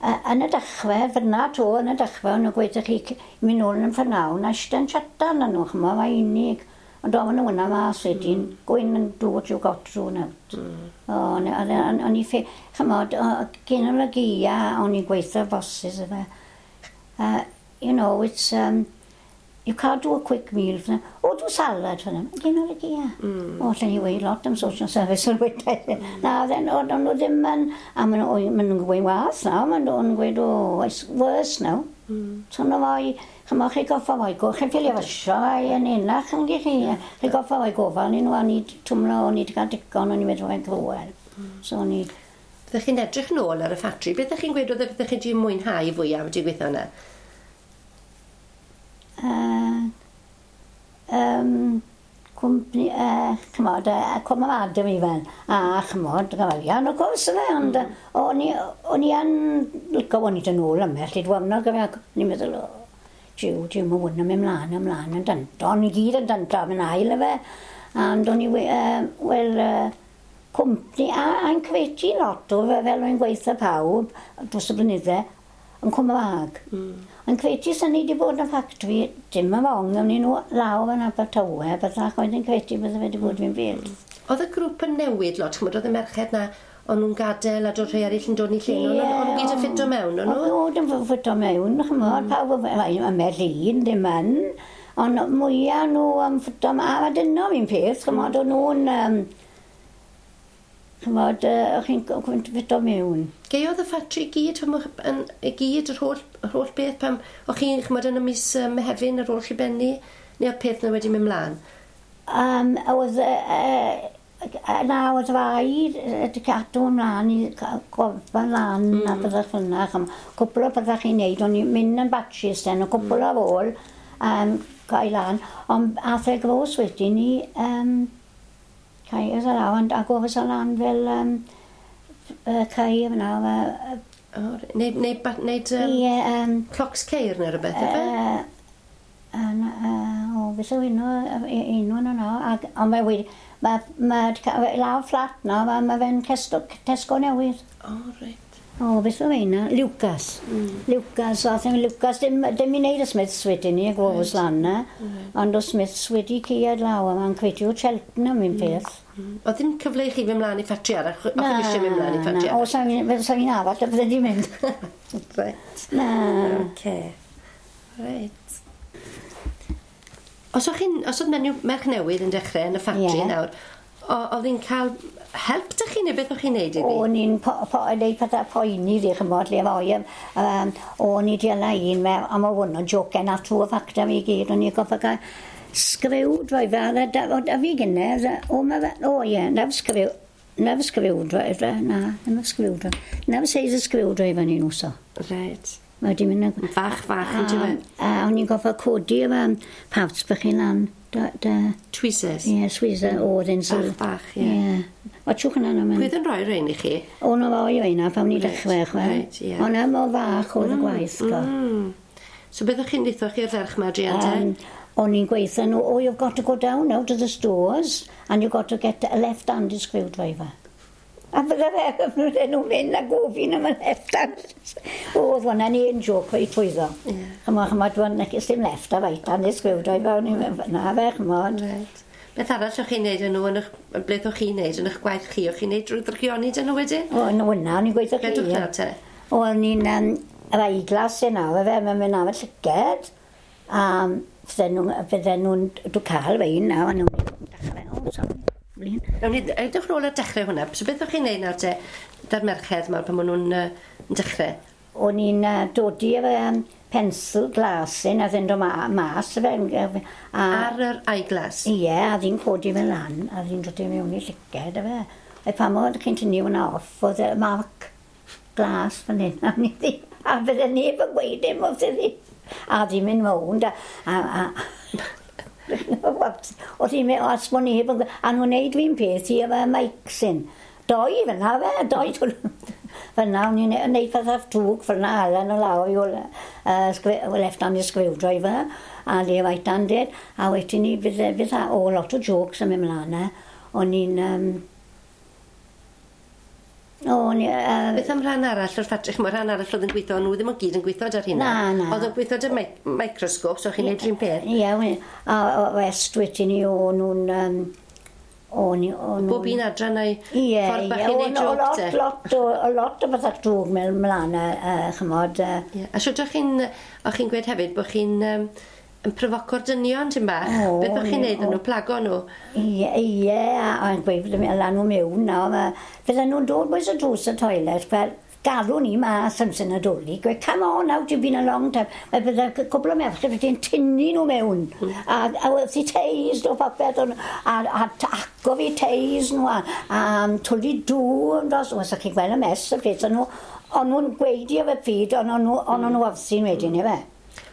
B: yn y dechrau, fyna to, yn y dechrau, o'n nhw'n gweud chi, mynd nôl yn ffyrnawn, a eistedd yn chatan nhw, chymod, mae unig. Ond o'n nhw yna mas wedyn, go in and do what you got to do now. O'n i ffe, chymod, gen y gia, o'n i'n gweithio bosses efe. You know, it's, you can't do a quick meal for them. Oh, do salad for them. Gen o'r gia. O, allan ni weud lot am social service yn weud. Na, then, o'n nhw ddim yn, a maen nhw'n gweud wath nawr, maen nhw'n gweud, oh, it's worse now. So nhw fwy, chymod, chi goffa fwy, chi'n ffilio fysio fwy yn unach yn chi. Chi goffa fwy gofal ni nhw, a ni twmlo, o'n i wedi cael digon, o'n i'n meddwl fe'n cruel. So o'n i...
A: Byddech chi'n edrych nôl ar y ffatri, beth ydych chi'n gweud oedd byddech chi wedi mwynhau fwyaf wedi gweithio yna?
B: Cwmni, chymod, cwm am Adam i fel, a chymod, gyfalion, o gwrs yna, ond o'n i yn licio o'n i dyn ôl ymell, i dwymno gyfer, o'n i'n meddwl, o, jiw, jiw, mae hwn yn mynd mlaen, ymlaen, yn danto, o'n i gyd yn danto, am yn ail efe, ond o'n i, wel, cwmni, a'n cyfeiti lot o fe, fel o'n gweithio pawb, dros y blynydde, yn cwm fag. Yn credu sy'n ni wedi bod yn ffactri, dim yn fong, am ni nhw lawr yn Abertawe, byddach oedd yn credu bydde fe wedi bod fi'n byd.
A: Oedd y grŵp yn newid lot, chymod, oedd y merched na, o'n nhw'n gadael a dod rhai eraill yn dod i lle, o'n nhw gyd yn ffito mewn, o'n nhw?
B: Oedd yn ffito mewn, chymod, pawb yn Merlin, ddim yn, ond mwyaf nhw yn ffito, a dyna fi'n peth, chymod, o'n nhw'n, chymod, o'ch chi'n ffito mewn.
A: Geiodd y ffatri gyd, i gyd, yr holl beth, pam o'ch chi'n, chymod, yn y mis Mehefin ar ôl chi benni, neu oedd peth yna wedi mynd mlaen?
B: Oedd, na, oedd rhaid wedi cadw ymlaen i gofal lan a byddech fel yna. Cwpl o byddech chi'n neud, o'n i'n mynd yn batches den, o cwpl ar ôl cael lan, ond ath e gros wedyn i cael y law, a gofys o lan fel cael fyna.
A: Neud clocs ceir neu rhywbeth, efe?
B: O, beth yw enw yno nawr, ond mae wedi, mae lawr fflat nawr, mae fe'n Tesco newydd.
A: O, reit.
B: O, beth yw enw? Lucas. Lucas, a ddim Lucas, dim i wneud y Smiths wedyn ni, y gwofus lan na, ond o Smiths wedi caead lawr, a mae'n credu o Cheltenham un peth.
A: Oedd ddim cyfle i chi fynd mlaen i ffatri arall? O'ch chi eisiau mynd mlaen i ffatri arall?
B: O, sa fi'n arall, bydde di mynd.
A: Reit.
B: Na.
A: Oce. Reit. Os oedd menyw merch newydd yn dechrau yn y ffatri nawr, oedd hi'n cael help dych chi neu beth o'ch chi'n neud iddi?
B: O'n i'n neud pethau poeni ddi, chymod, lle foi. O'n i di ala un, a mae hwn yn joken a trwy y ffactor fi gyd, o'n i'n goffa cael screwdriver, a fi gynne, o, o ie, nef screwdriver, na, nef screwdriver, nef seis y screwdriver ni'n wso.
A: Reit.
B: Mae wedi mynd yn...
A: Fach, fach, yn dweud.
B: A o'n i'n goffa codi efo parts bych chi lan.
A: Tweezers?
B: Ie, tweezers, oedd yn
A: sydd. Bach, bach, ie.
B: Watchwch yna na.
A: Pwy oedd yn rhoi rhain i chi?
B: O'n o roi rhain pan ni dechrau, chwe. Reit, ie. O'n mor fach oedd y gwaith, go.
A: So beth o'ch chi'n deitho chi'r ferch ma, Drian, te?
B: O'n i'n gweithio nhw, oh, you've got to go down now to the stores and you've got to get a left-handed screwdriver. A bydde fe, nhw'n mynd a gofyn am y left hand. Oedd hwnna'n un joc o'i trwyddo. Chymod, chymod, dwi'n dim left a right hand screwdriver, na fe, chymod.
A: Right. Beth arall o'ch chi'n neud yn nhw, beth o'ch chi'n neud yn eich gwaith chi, o'ch chi'n neud drwy ddrygioni dyn nhw wedyn?
B: O, yn hwnna, o'n i'n gweithio chi.
A: Beth o'ch nawr te?
B: O'n i'n yr eyeglass yna, fe, mae'n mynd am y llyged. A fydden nhw'n, dwi'n cael fe un nawr, a nhw'n dechrau, o, sorry. Flin.
A: Nawn ni edrych nôl ar dechrau hwnna. So beth o'ch chi'n neud nawr te, da'r merched 'ma pan maen nhw'n yn dechrau?
B: O'n i'n dodi efo pensel glasyn a ddyn dod mas fe.
A: A, ar yr eyeglass?
B: Ie, a ddyn codi fe lan, a ddyn dod i mewn i llyced, a fe. A pan oedd chi'n tynnu hwnna off, oedd y marc glas fan hyn, a ni ddi, a fydde neb yn gweud dim wrth iddi. A di mynd mewn, a oedd hi'n mynd, os bod neb yn gweud, a nhw'n neud fi'n peth i efo mic sy'n. Doi fyna fe, doi fyna, o'n i'n neud pethau drwg fyna allan o lawr i left hand screwdriver a the right handed, a wedyn ni bydd o lot o jokes yn mynd mlaen e. O'n i'n O, ni,
A: Beth am rhan arall o'r ffatri? Ch'mo' rhan arall oedd yn gweithio, nhw ddim o gyd yn gweithio ar hynna.
B: Na, na.
A: Oedd yn gweithio 'da microscope, so chi'n neud rhywun peth?
B: Ie, a rest wedyn ni o'n nhw'n... O'n nhw'n.
A: Bob un adran o'i ffordd bach i wneud joke te?
B: Lot, lot o bethau drwg mewn mlaen, chymod.
A: Ie. A siwt o'ch chi'n, o'ch chi'n gweud hefyd bod chi'n yn profoco'r dynion ti'n bach? O, beth o'ch chi'n neud nhw, plago nhw?
B: Ie, ie, a gweud lan nhw mewn nawr. Fydden nhw'n dod bwys y drws y toilet, fel galw ni mas am sy'n Nadolig, gweud, "Come on out, you've been a long time." Mae bydde cwbl o merched wedi'n tynnu nhw mewn. A wrth i teis o popeth, a aco fi teis nhw, a twli dŵr, dros, os ych chi'n gweld y mess y peth, o'n nhw'n gweud i efo pryd, ond o'n nhw wrthi'n wedyn, efe.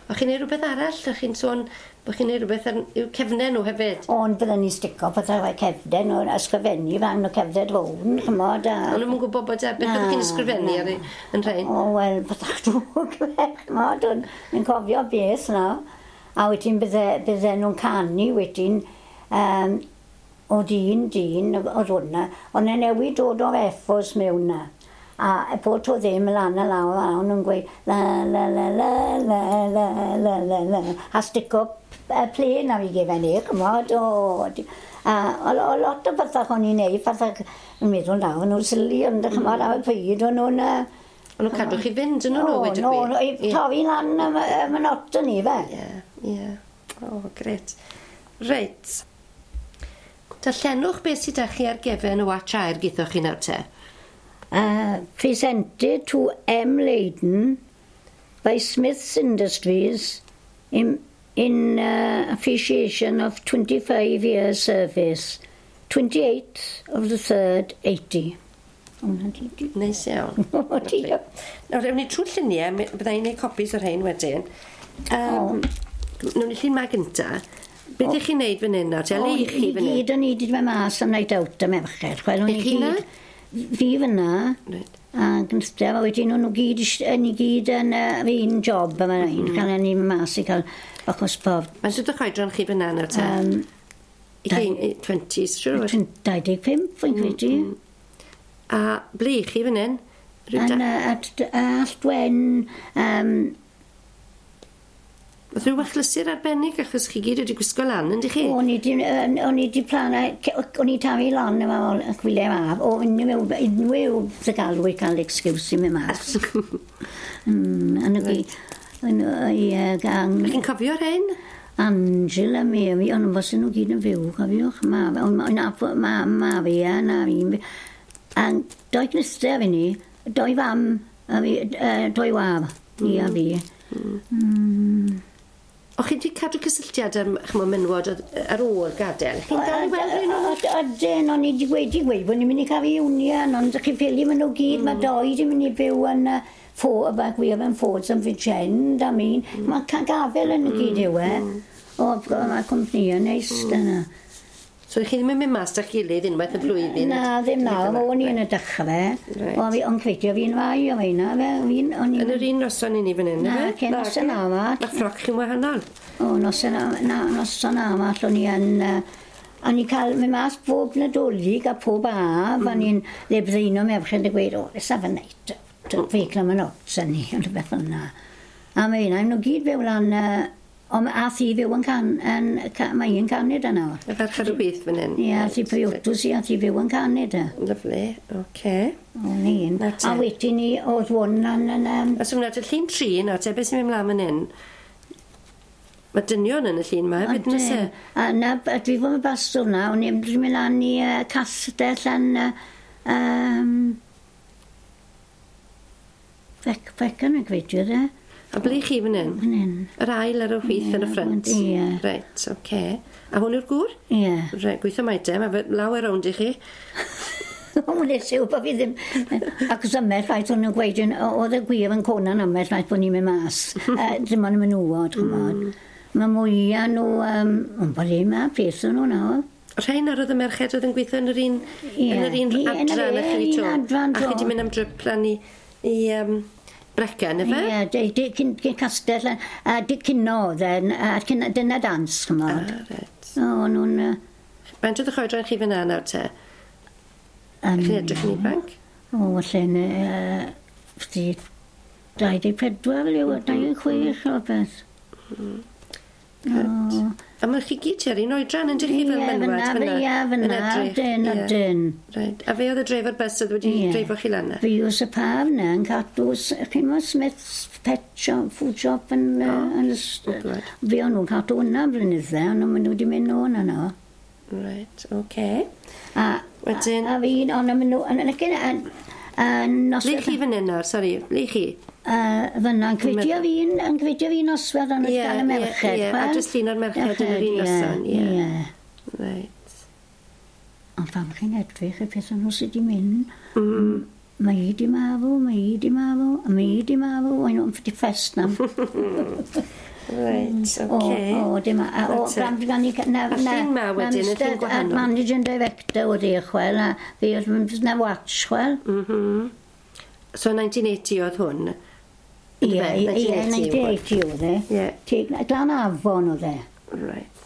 A: O'ch chi'n neud rhywbeth arall? O'ch chi'n sôn bod chi'n neud rhywbeth ar i'w cefnau nhw hefyd?
B: Ond bydden ni'n stico pethau fel cefnau nhw, ysgrifennu fan o cefnau rownd, chymod.
A: A... O'n nhw'n gwybod bod e, beth oeddech chi'n ysgrifennu ar yn rhain?
B: O, wel, pethau drwg, chymod, o'n cofio beth na. A wedyn bydde nhw'n canu wedyn, oedd un dyn, oedd hwnna, ond e'n newid dod o'r effos mewn na. A bod to ddim lan a lawr, a o'n nhw'n gweud la la la la la la la la la a stico plen ar ei gefen i, chymod, o. A o lot o bethau o'n i'n neud, pethau yn meddwl nawr, nhw'n silly, ond chymod, ar y pryd o'n nhw'n.
A: O'n nhw'n cadw chi fynd yn nhw, wedi
B: gwir? O, torri lan y monotony fe.
A: Ie, ie. O, gret. Reit. Darllenwch beth sydd â chi ar gefen y watch air geithoch chi nawr te.
B: Presented to M. Leyden by Smith's Industries in appreciation of 25 years service. 28th of the 3rd, 80. Hwnna'n di.
A: Neis iawn.
B: O, diolch.
A: Nawr, ewn ni trwy'r lluniau, bydda i'n gwneud copies o'r rhain wedyn. Nawn ni llun ma gynta. Beth ych chi'n neud fan hyn nawr? Te, le i chi fan
B: hyn? I gyd o'n i wedi mynd mas am night out y merched. Chwel, o'n
A: i chi na?
B: Fi fyna. A gyntaf, a wedyn o'n nhw gyd, ni gyd yn yr un job yma mm. Cael ni mas i cael bach o sport.
A: Mae'n sut o'ch oedran chi fyna nawr te? 20s, siŵr o
B: fod? 25, fi'n credu.
A: A ble i chi fan hyn?
B: Yn Alltwen.
A: Oedd rhyw achlysur arbennig achos chi gyd wedi gwisgo lan, yndych chi?
B: O'n i di plana, o'n i tafu lan efo gwyliau maf, o unrhyw dy galw i cael excuse i mynd mas. Yn y
A: yn ie, gang. Chi'n cofio rhain?
B: Angela Mary, ond fos nhw gyd yn fyw, cofiwch. Ma, ma, ma fi a na fi. A doi gnister fi ni, doi fam, a fi, doi waf, ni a fi.
A: O'ch chi wedi cadw cysylltiad am ch'mo' menywod ar ôl gadael? Chi'n dal i weld rhai nhw?
B: Ydyn, o'n i wedi gweud bod ni'n mynd i cael reunion, ond chi'n ffili maen nhw gyd, mae doi wedi mynd i byw yn Fo, we yn Fords yn Bridgend, I mean, mae gafel yn y gyd yw e. O, mae cwmpnïau neis dyna.
A: So chi ddim yn mynd mas da'ch gilydd unwaith y flwyddyn?
B: Na, ddim nawr. O'n i yn y dechrau. Reit. O, fi, ond credio fi'n fai o feina.
A: Fi'n, o'n i... Yn yr un noson i ni fan hyn,
B: Na, ce noson arall.
A: Mae ffroc chi'n wahanol.
B: O, noson, na, noson arall o'n i yn... O'n i cael mynd mas bob Nadolig a pob haf, o'n i'n le bydde un o merched yn gweud, "O, let's have a night out, fe cael mynd ots yn ni," ond rhywbeth fel yna. A mae yna, nhw gyd fyw lan, ond ath i fyw yn can, yn, mae un Canada nawr.
A: Y ferch ar y chwith fan hyn.
B: Ie, ath i priodos i, ath i fyw yn Canada.
A: Lyfli, oce.
B: O'n un. A wedyn ni, oedd hwn yn.
A: A so nawr, llun 3 nawr, te, beth sy'n mynd mlaen fan hyn? Mae dynion yn y llun 'ma hefyd, nag oes e?
B: A na, dwi fod yn bastwr na, o'n i'n mynd lan i castell yn Fecan yn gweithio de.
A: A ble chi fan hyn?
B: Fan hyn.
A: Yr ail ar y chwith yn y ffrynt?
B: Ie.
A: Reit, oce. Okay. A hwn yw'r gŵr?
B: Ie.
A: Reit, gweithio mai te, mae fe lawer rownd i chi.
B: O, nes i wybod fi ddim. Ac os ymell ffaith o'n nhw'n gweud, oedd y gwir yn cona'n ymell ffaith bod ni'n mynd mas. Dim ond y menywod, ch'mod. Mae mwyaf nhw, ond bod ddim a peth o'n nhw nawr.
A: Rhain ar oedd y merched oedd yn gweithio yn yr un, yn yr un adran â chi
B: to.
A: A chi wedi mynd am drip lan i Brecon, ife?
B: Ie, cyn castell, a di cino oedd e, a dyna dans, ch'mod.
A: Ah, reit.
B: O, nhw'n...
A: Faint oedd eich oedran chi fyna nawr te? Chi'n edrych yn ifanc?
B: O, falle'n... 24, fel yw, 26 o beth.
A: Reit. A mae chi gyd tua'r un oedran, yn chi fel menywod
B: fyna? Ie, fyna, dyn, o dyn.
A: Reit. A fe oedd y dreifar bus oedd wedi dreifo chi lan?
B: Fi oes y paf na yn cadw, chi'n meddwl Smith's Pet Shop, Food Shop yn... Fi o'n nhw'n cadw hwnna blynydde, ond maen nhw wedi mynd o hwnna no.
A: Reit, oce.
B: A wedyn... A fi, ond maen nhw...
A: Ble chi fan hyn nawr, sori, ble chi?
B: Fyna, yn gweithio fi noswaith ond oedd gael y merched.
A: Ie, a jyst llun o'r merched yn yr un noson, ie. Reit.
B: Ond pam chi'n edrych y pethau nhw sydd wedi mynd, mae hi di marw, mae hi di marw, a mae hi di marw, o'n nhw'n ffiti ffest na.
A: Reit, oce.
B: O, dim a... O, gan i...
A: A llun ma wedyn, y llun gwahanol.
B: Managing Director oedd e, chwel, a fi oedd na watch, chwel.
A: So 1980 oedd hwn?
B: Ie, 1980 oedd e. Glan Afon oedd e.
A: Right.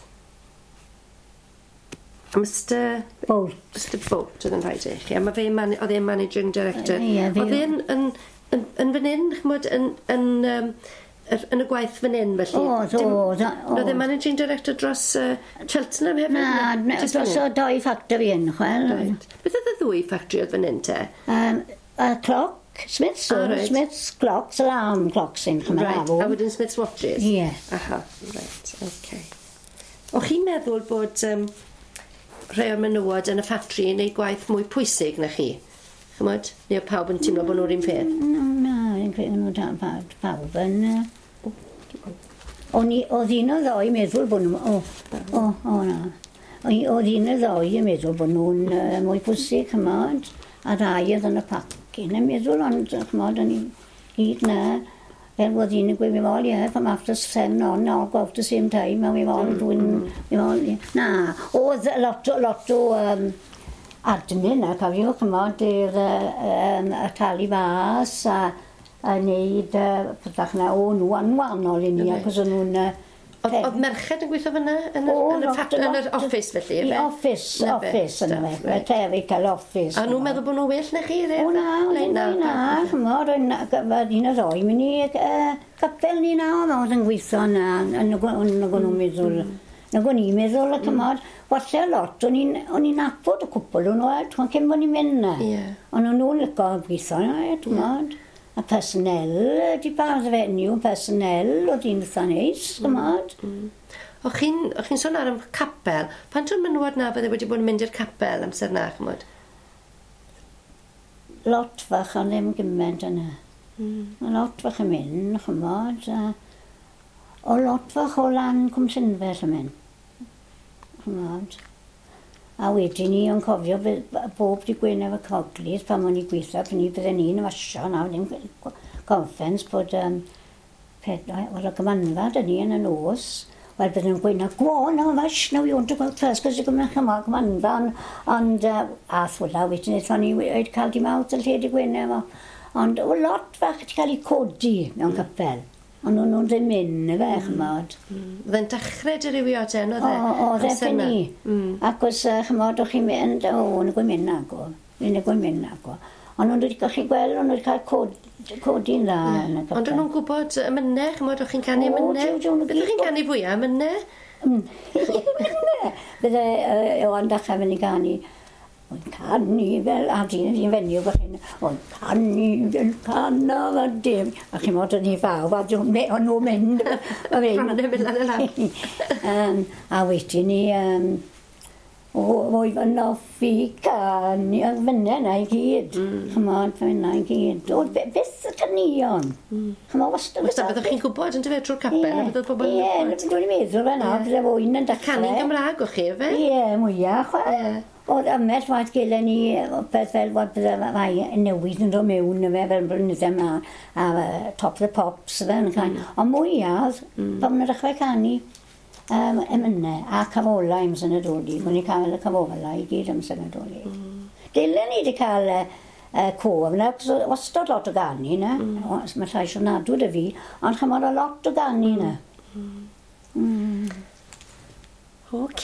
A: Mr
B: Bolt.
A: Mr Bolt oedd yn rhaid i chi. A mae fe, oedd e'n managing director.
B: Ie,
A: fe... Oedd e'n yn fan hyn, ch'mod, yn y gwaith fan hyn, felly?
B: Oedd, oedd.
A: Oedd e'n managing director dros Cheltenham hefyd?
B: Na, dros o doi factory yn, chwel.
A: Right. Beth oedd y ddwy factory oedd fan hyn, te?
B: Y cloc. Smith's, Smith's clocks, alarm clocks yn chymryd.
A: Right, a wedyn Smith's watches?
B: Ie.
A: Aha, right, oce. O'ch chi'n meddwl bod rhai o'r menywod yn y ffatri yn neud gwaith mwy pwysig na chi? Chymod? Neu oedd pawb yn teimlo bod nhw'r un peth?
B: Na, fi'n credu nhw pawb yn... Oedd un o ddoi meddwl bod nhw... O, na. Oedd un o ddoi yn meddwl bod nhw'n mwy pwysig, chymod? A rai oedd yn y pac. Yn meddwl, ond, chymod, o'n i hyd na, fel oedd un yn gweud, we've all here from after 7 on, all go out the same time, and we've all doing, we've all, na, oedd lot o admin, a cofiwch, chymod, i'r talu fas, a wneud pethach na, o nhw anwahanol i ni, acos o'n nhw'n...
A: Oedd merched yn gweithio fyna yn yr office felly,
B: efe? Office, office yn y clerical office.
A: A nhw'n meddwl bod nhw'n well na chi?
B: O na, na, chymod, oedd un o ddoi mynd i capel ni na, oedd yn gweithio na, nag o'n nhw'n meddwl, nag o'n i'n meddwl, chymod, falle lot, o'n i'n nabod y cwpl o'n nhw, cyn bod ni'n mynd na. Ond o'n nhw'n licio gweithio na, chymod. A personnel, di bardd fenyw, personnel, oedd hi'n eitha neis, chymod.
A: O'ch chi'n sôn ar y capel, pan ti'n menywod na fydde wedi bod yn mynd i'r capel amser na, chymod?
B: Lot fach, ond ddim gymaint yna. Mae lot fach yn mynd, chymod. O lot fach o lan Cwm Llynfell yn mynd, chymod. A wedyn ni o'n cofio bob di Gwener efo Coglys pan o'n i gweithio, pan ni bydden ni'n wasio na, ddim conference bod oedd y gymanfa dyn ni yn y nos. Wel, bydden nhw'n gweud, na, go on, now, wash, now you want to go out first, cos you're going to gymanfa, ond a thwla wedyn aethon ni wedi cael dim out y lle di Gwener efo. Ond o lot fach wedi cael ei codi mewn capel. Ond o'n nhw'n ddim mynd, efe, chymod.
A: Oedd e'n dechrau dirywio te, oedd e?
B: Oedd e ffyn ni. Ac os, chymod, o'ch chi'n mynd, o, o'n i'n mynd nago. O'n i'n mynd nago. Ond o'n wedi chi gweld, o'n wedi cael codi'n dda.
A: Ond o'n nhw'n gwybod emynau, chymod, o'ch chi'n canu emynau? Beth o'ch chi'n canu fwyaf, emynau?
B: Emynau! Bydde Iwan dechrau fynd i ganu. O'n canu fel, a dyn ni'n fenyw fach hyn, o'n canu fel canodd a dim. A chi'n modd yn ei fawr, a o'n nhw'n mynd.
A: Rhannau mynd lan y lan.
B: A wedyn ni, oedd yn hoffi canu, oedd fyna yna i gyd. Chymod, fyna i gyd. Oedd byth y caneuon. Chymod, wastad.
A: Wastad, byddwch chi'n gwybod yn dyfe trwy'r capel, a byddwch pobl
B: yn gwybod. Ie, dwi'n meddwl fe na, bydde fwy'n yn dechrau.
A: Canu'n Gymraeg o'ch chi, efe?
B: Ie, mwyaf, chwe. Oedd ymell waith gelen ni peth fel bod bydde rai newid yn dod mewn efe fel blynydde ymlaen, a Top of the Pops efe yn cael. Ond mwyaf, pan maen nhw'n dechrau canu emynau a cafolau amser Nadolig. Mm. O'n i cael y cafolau i gyd amser Nadolig. Dylen ni wedi cael y cof yna, achos oedd wastad lot o ganu yna. Mae llais ofnadw 'da fi, ond chymod o lot o ganu yna.
A: Oce.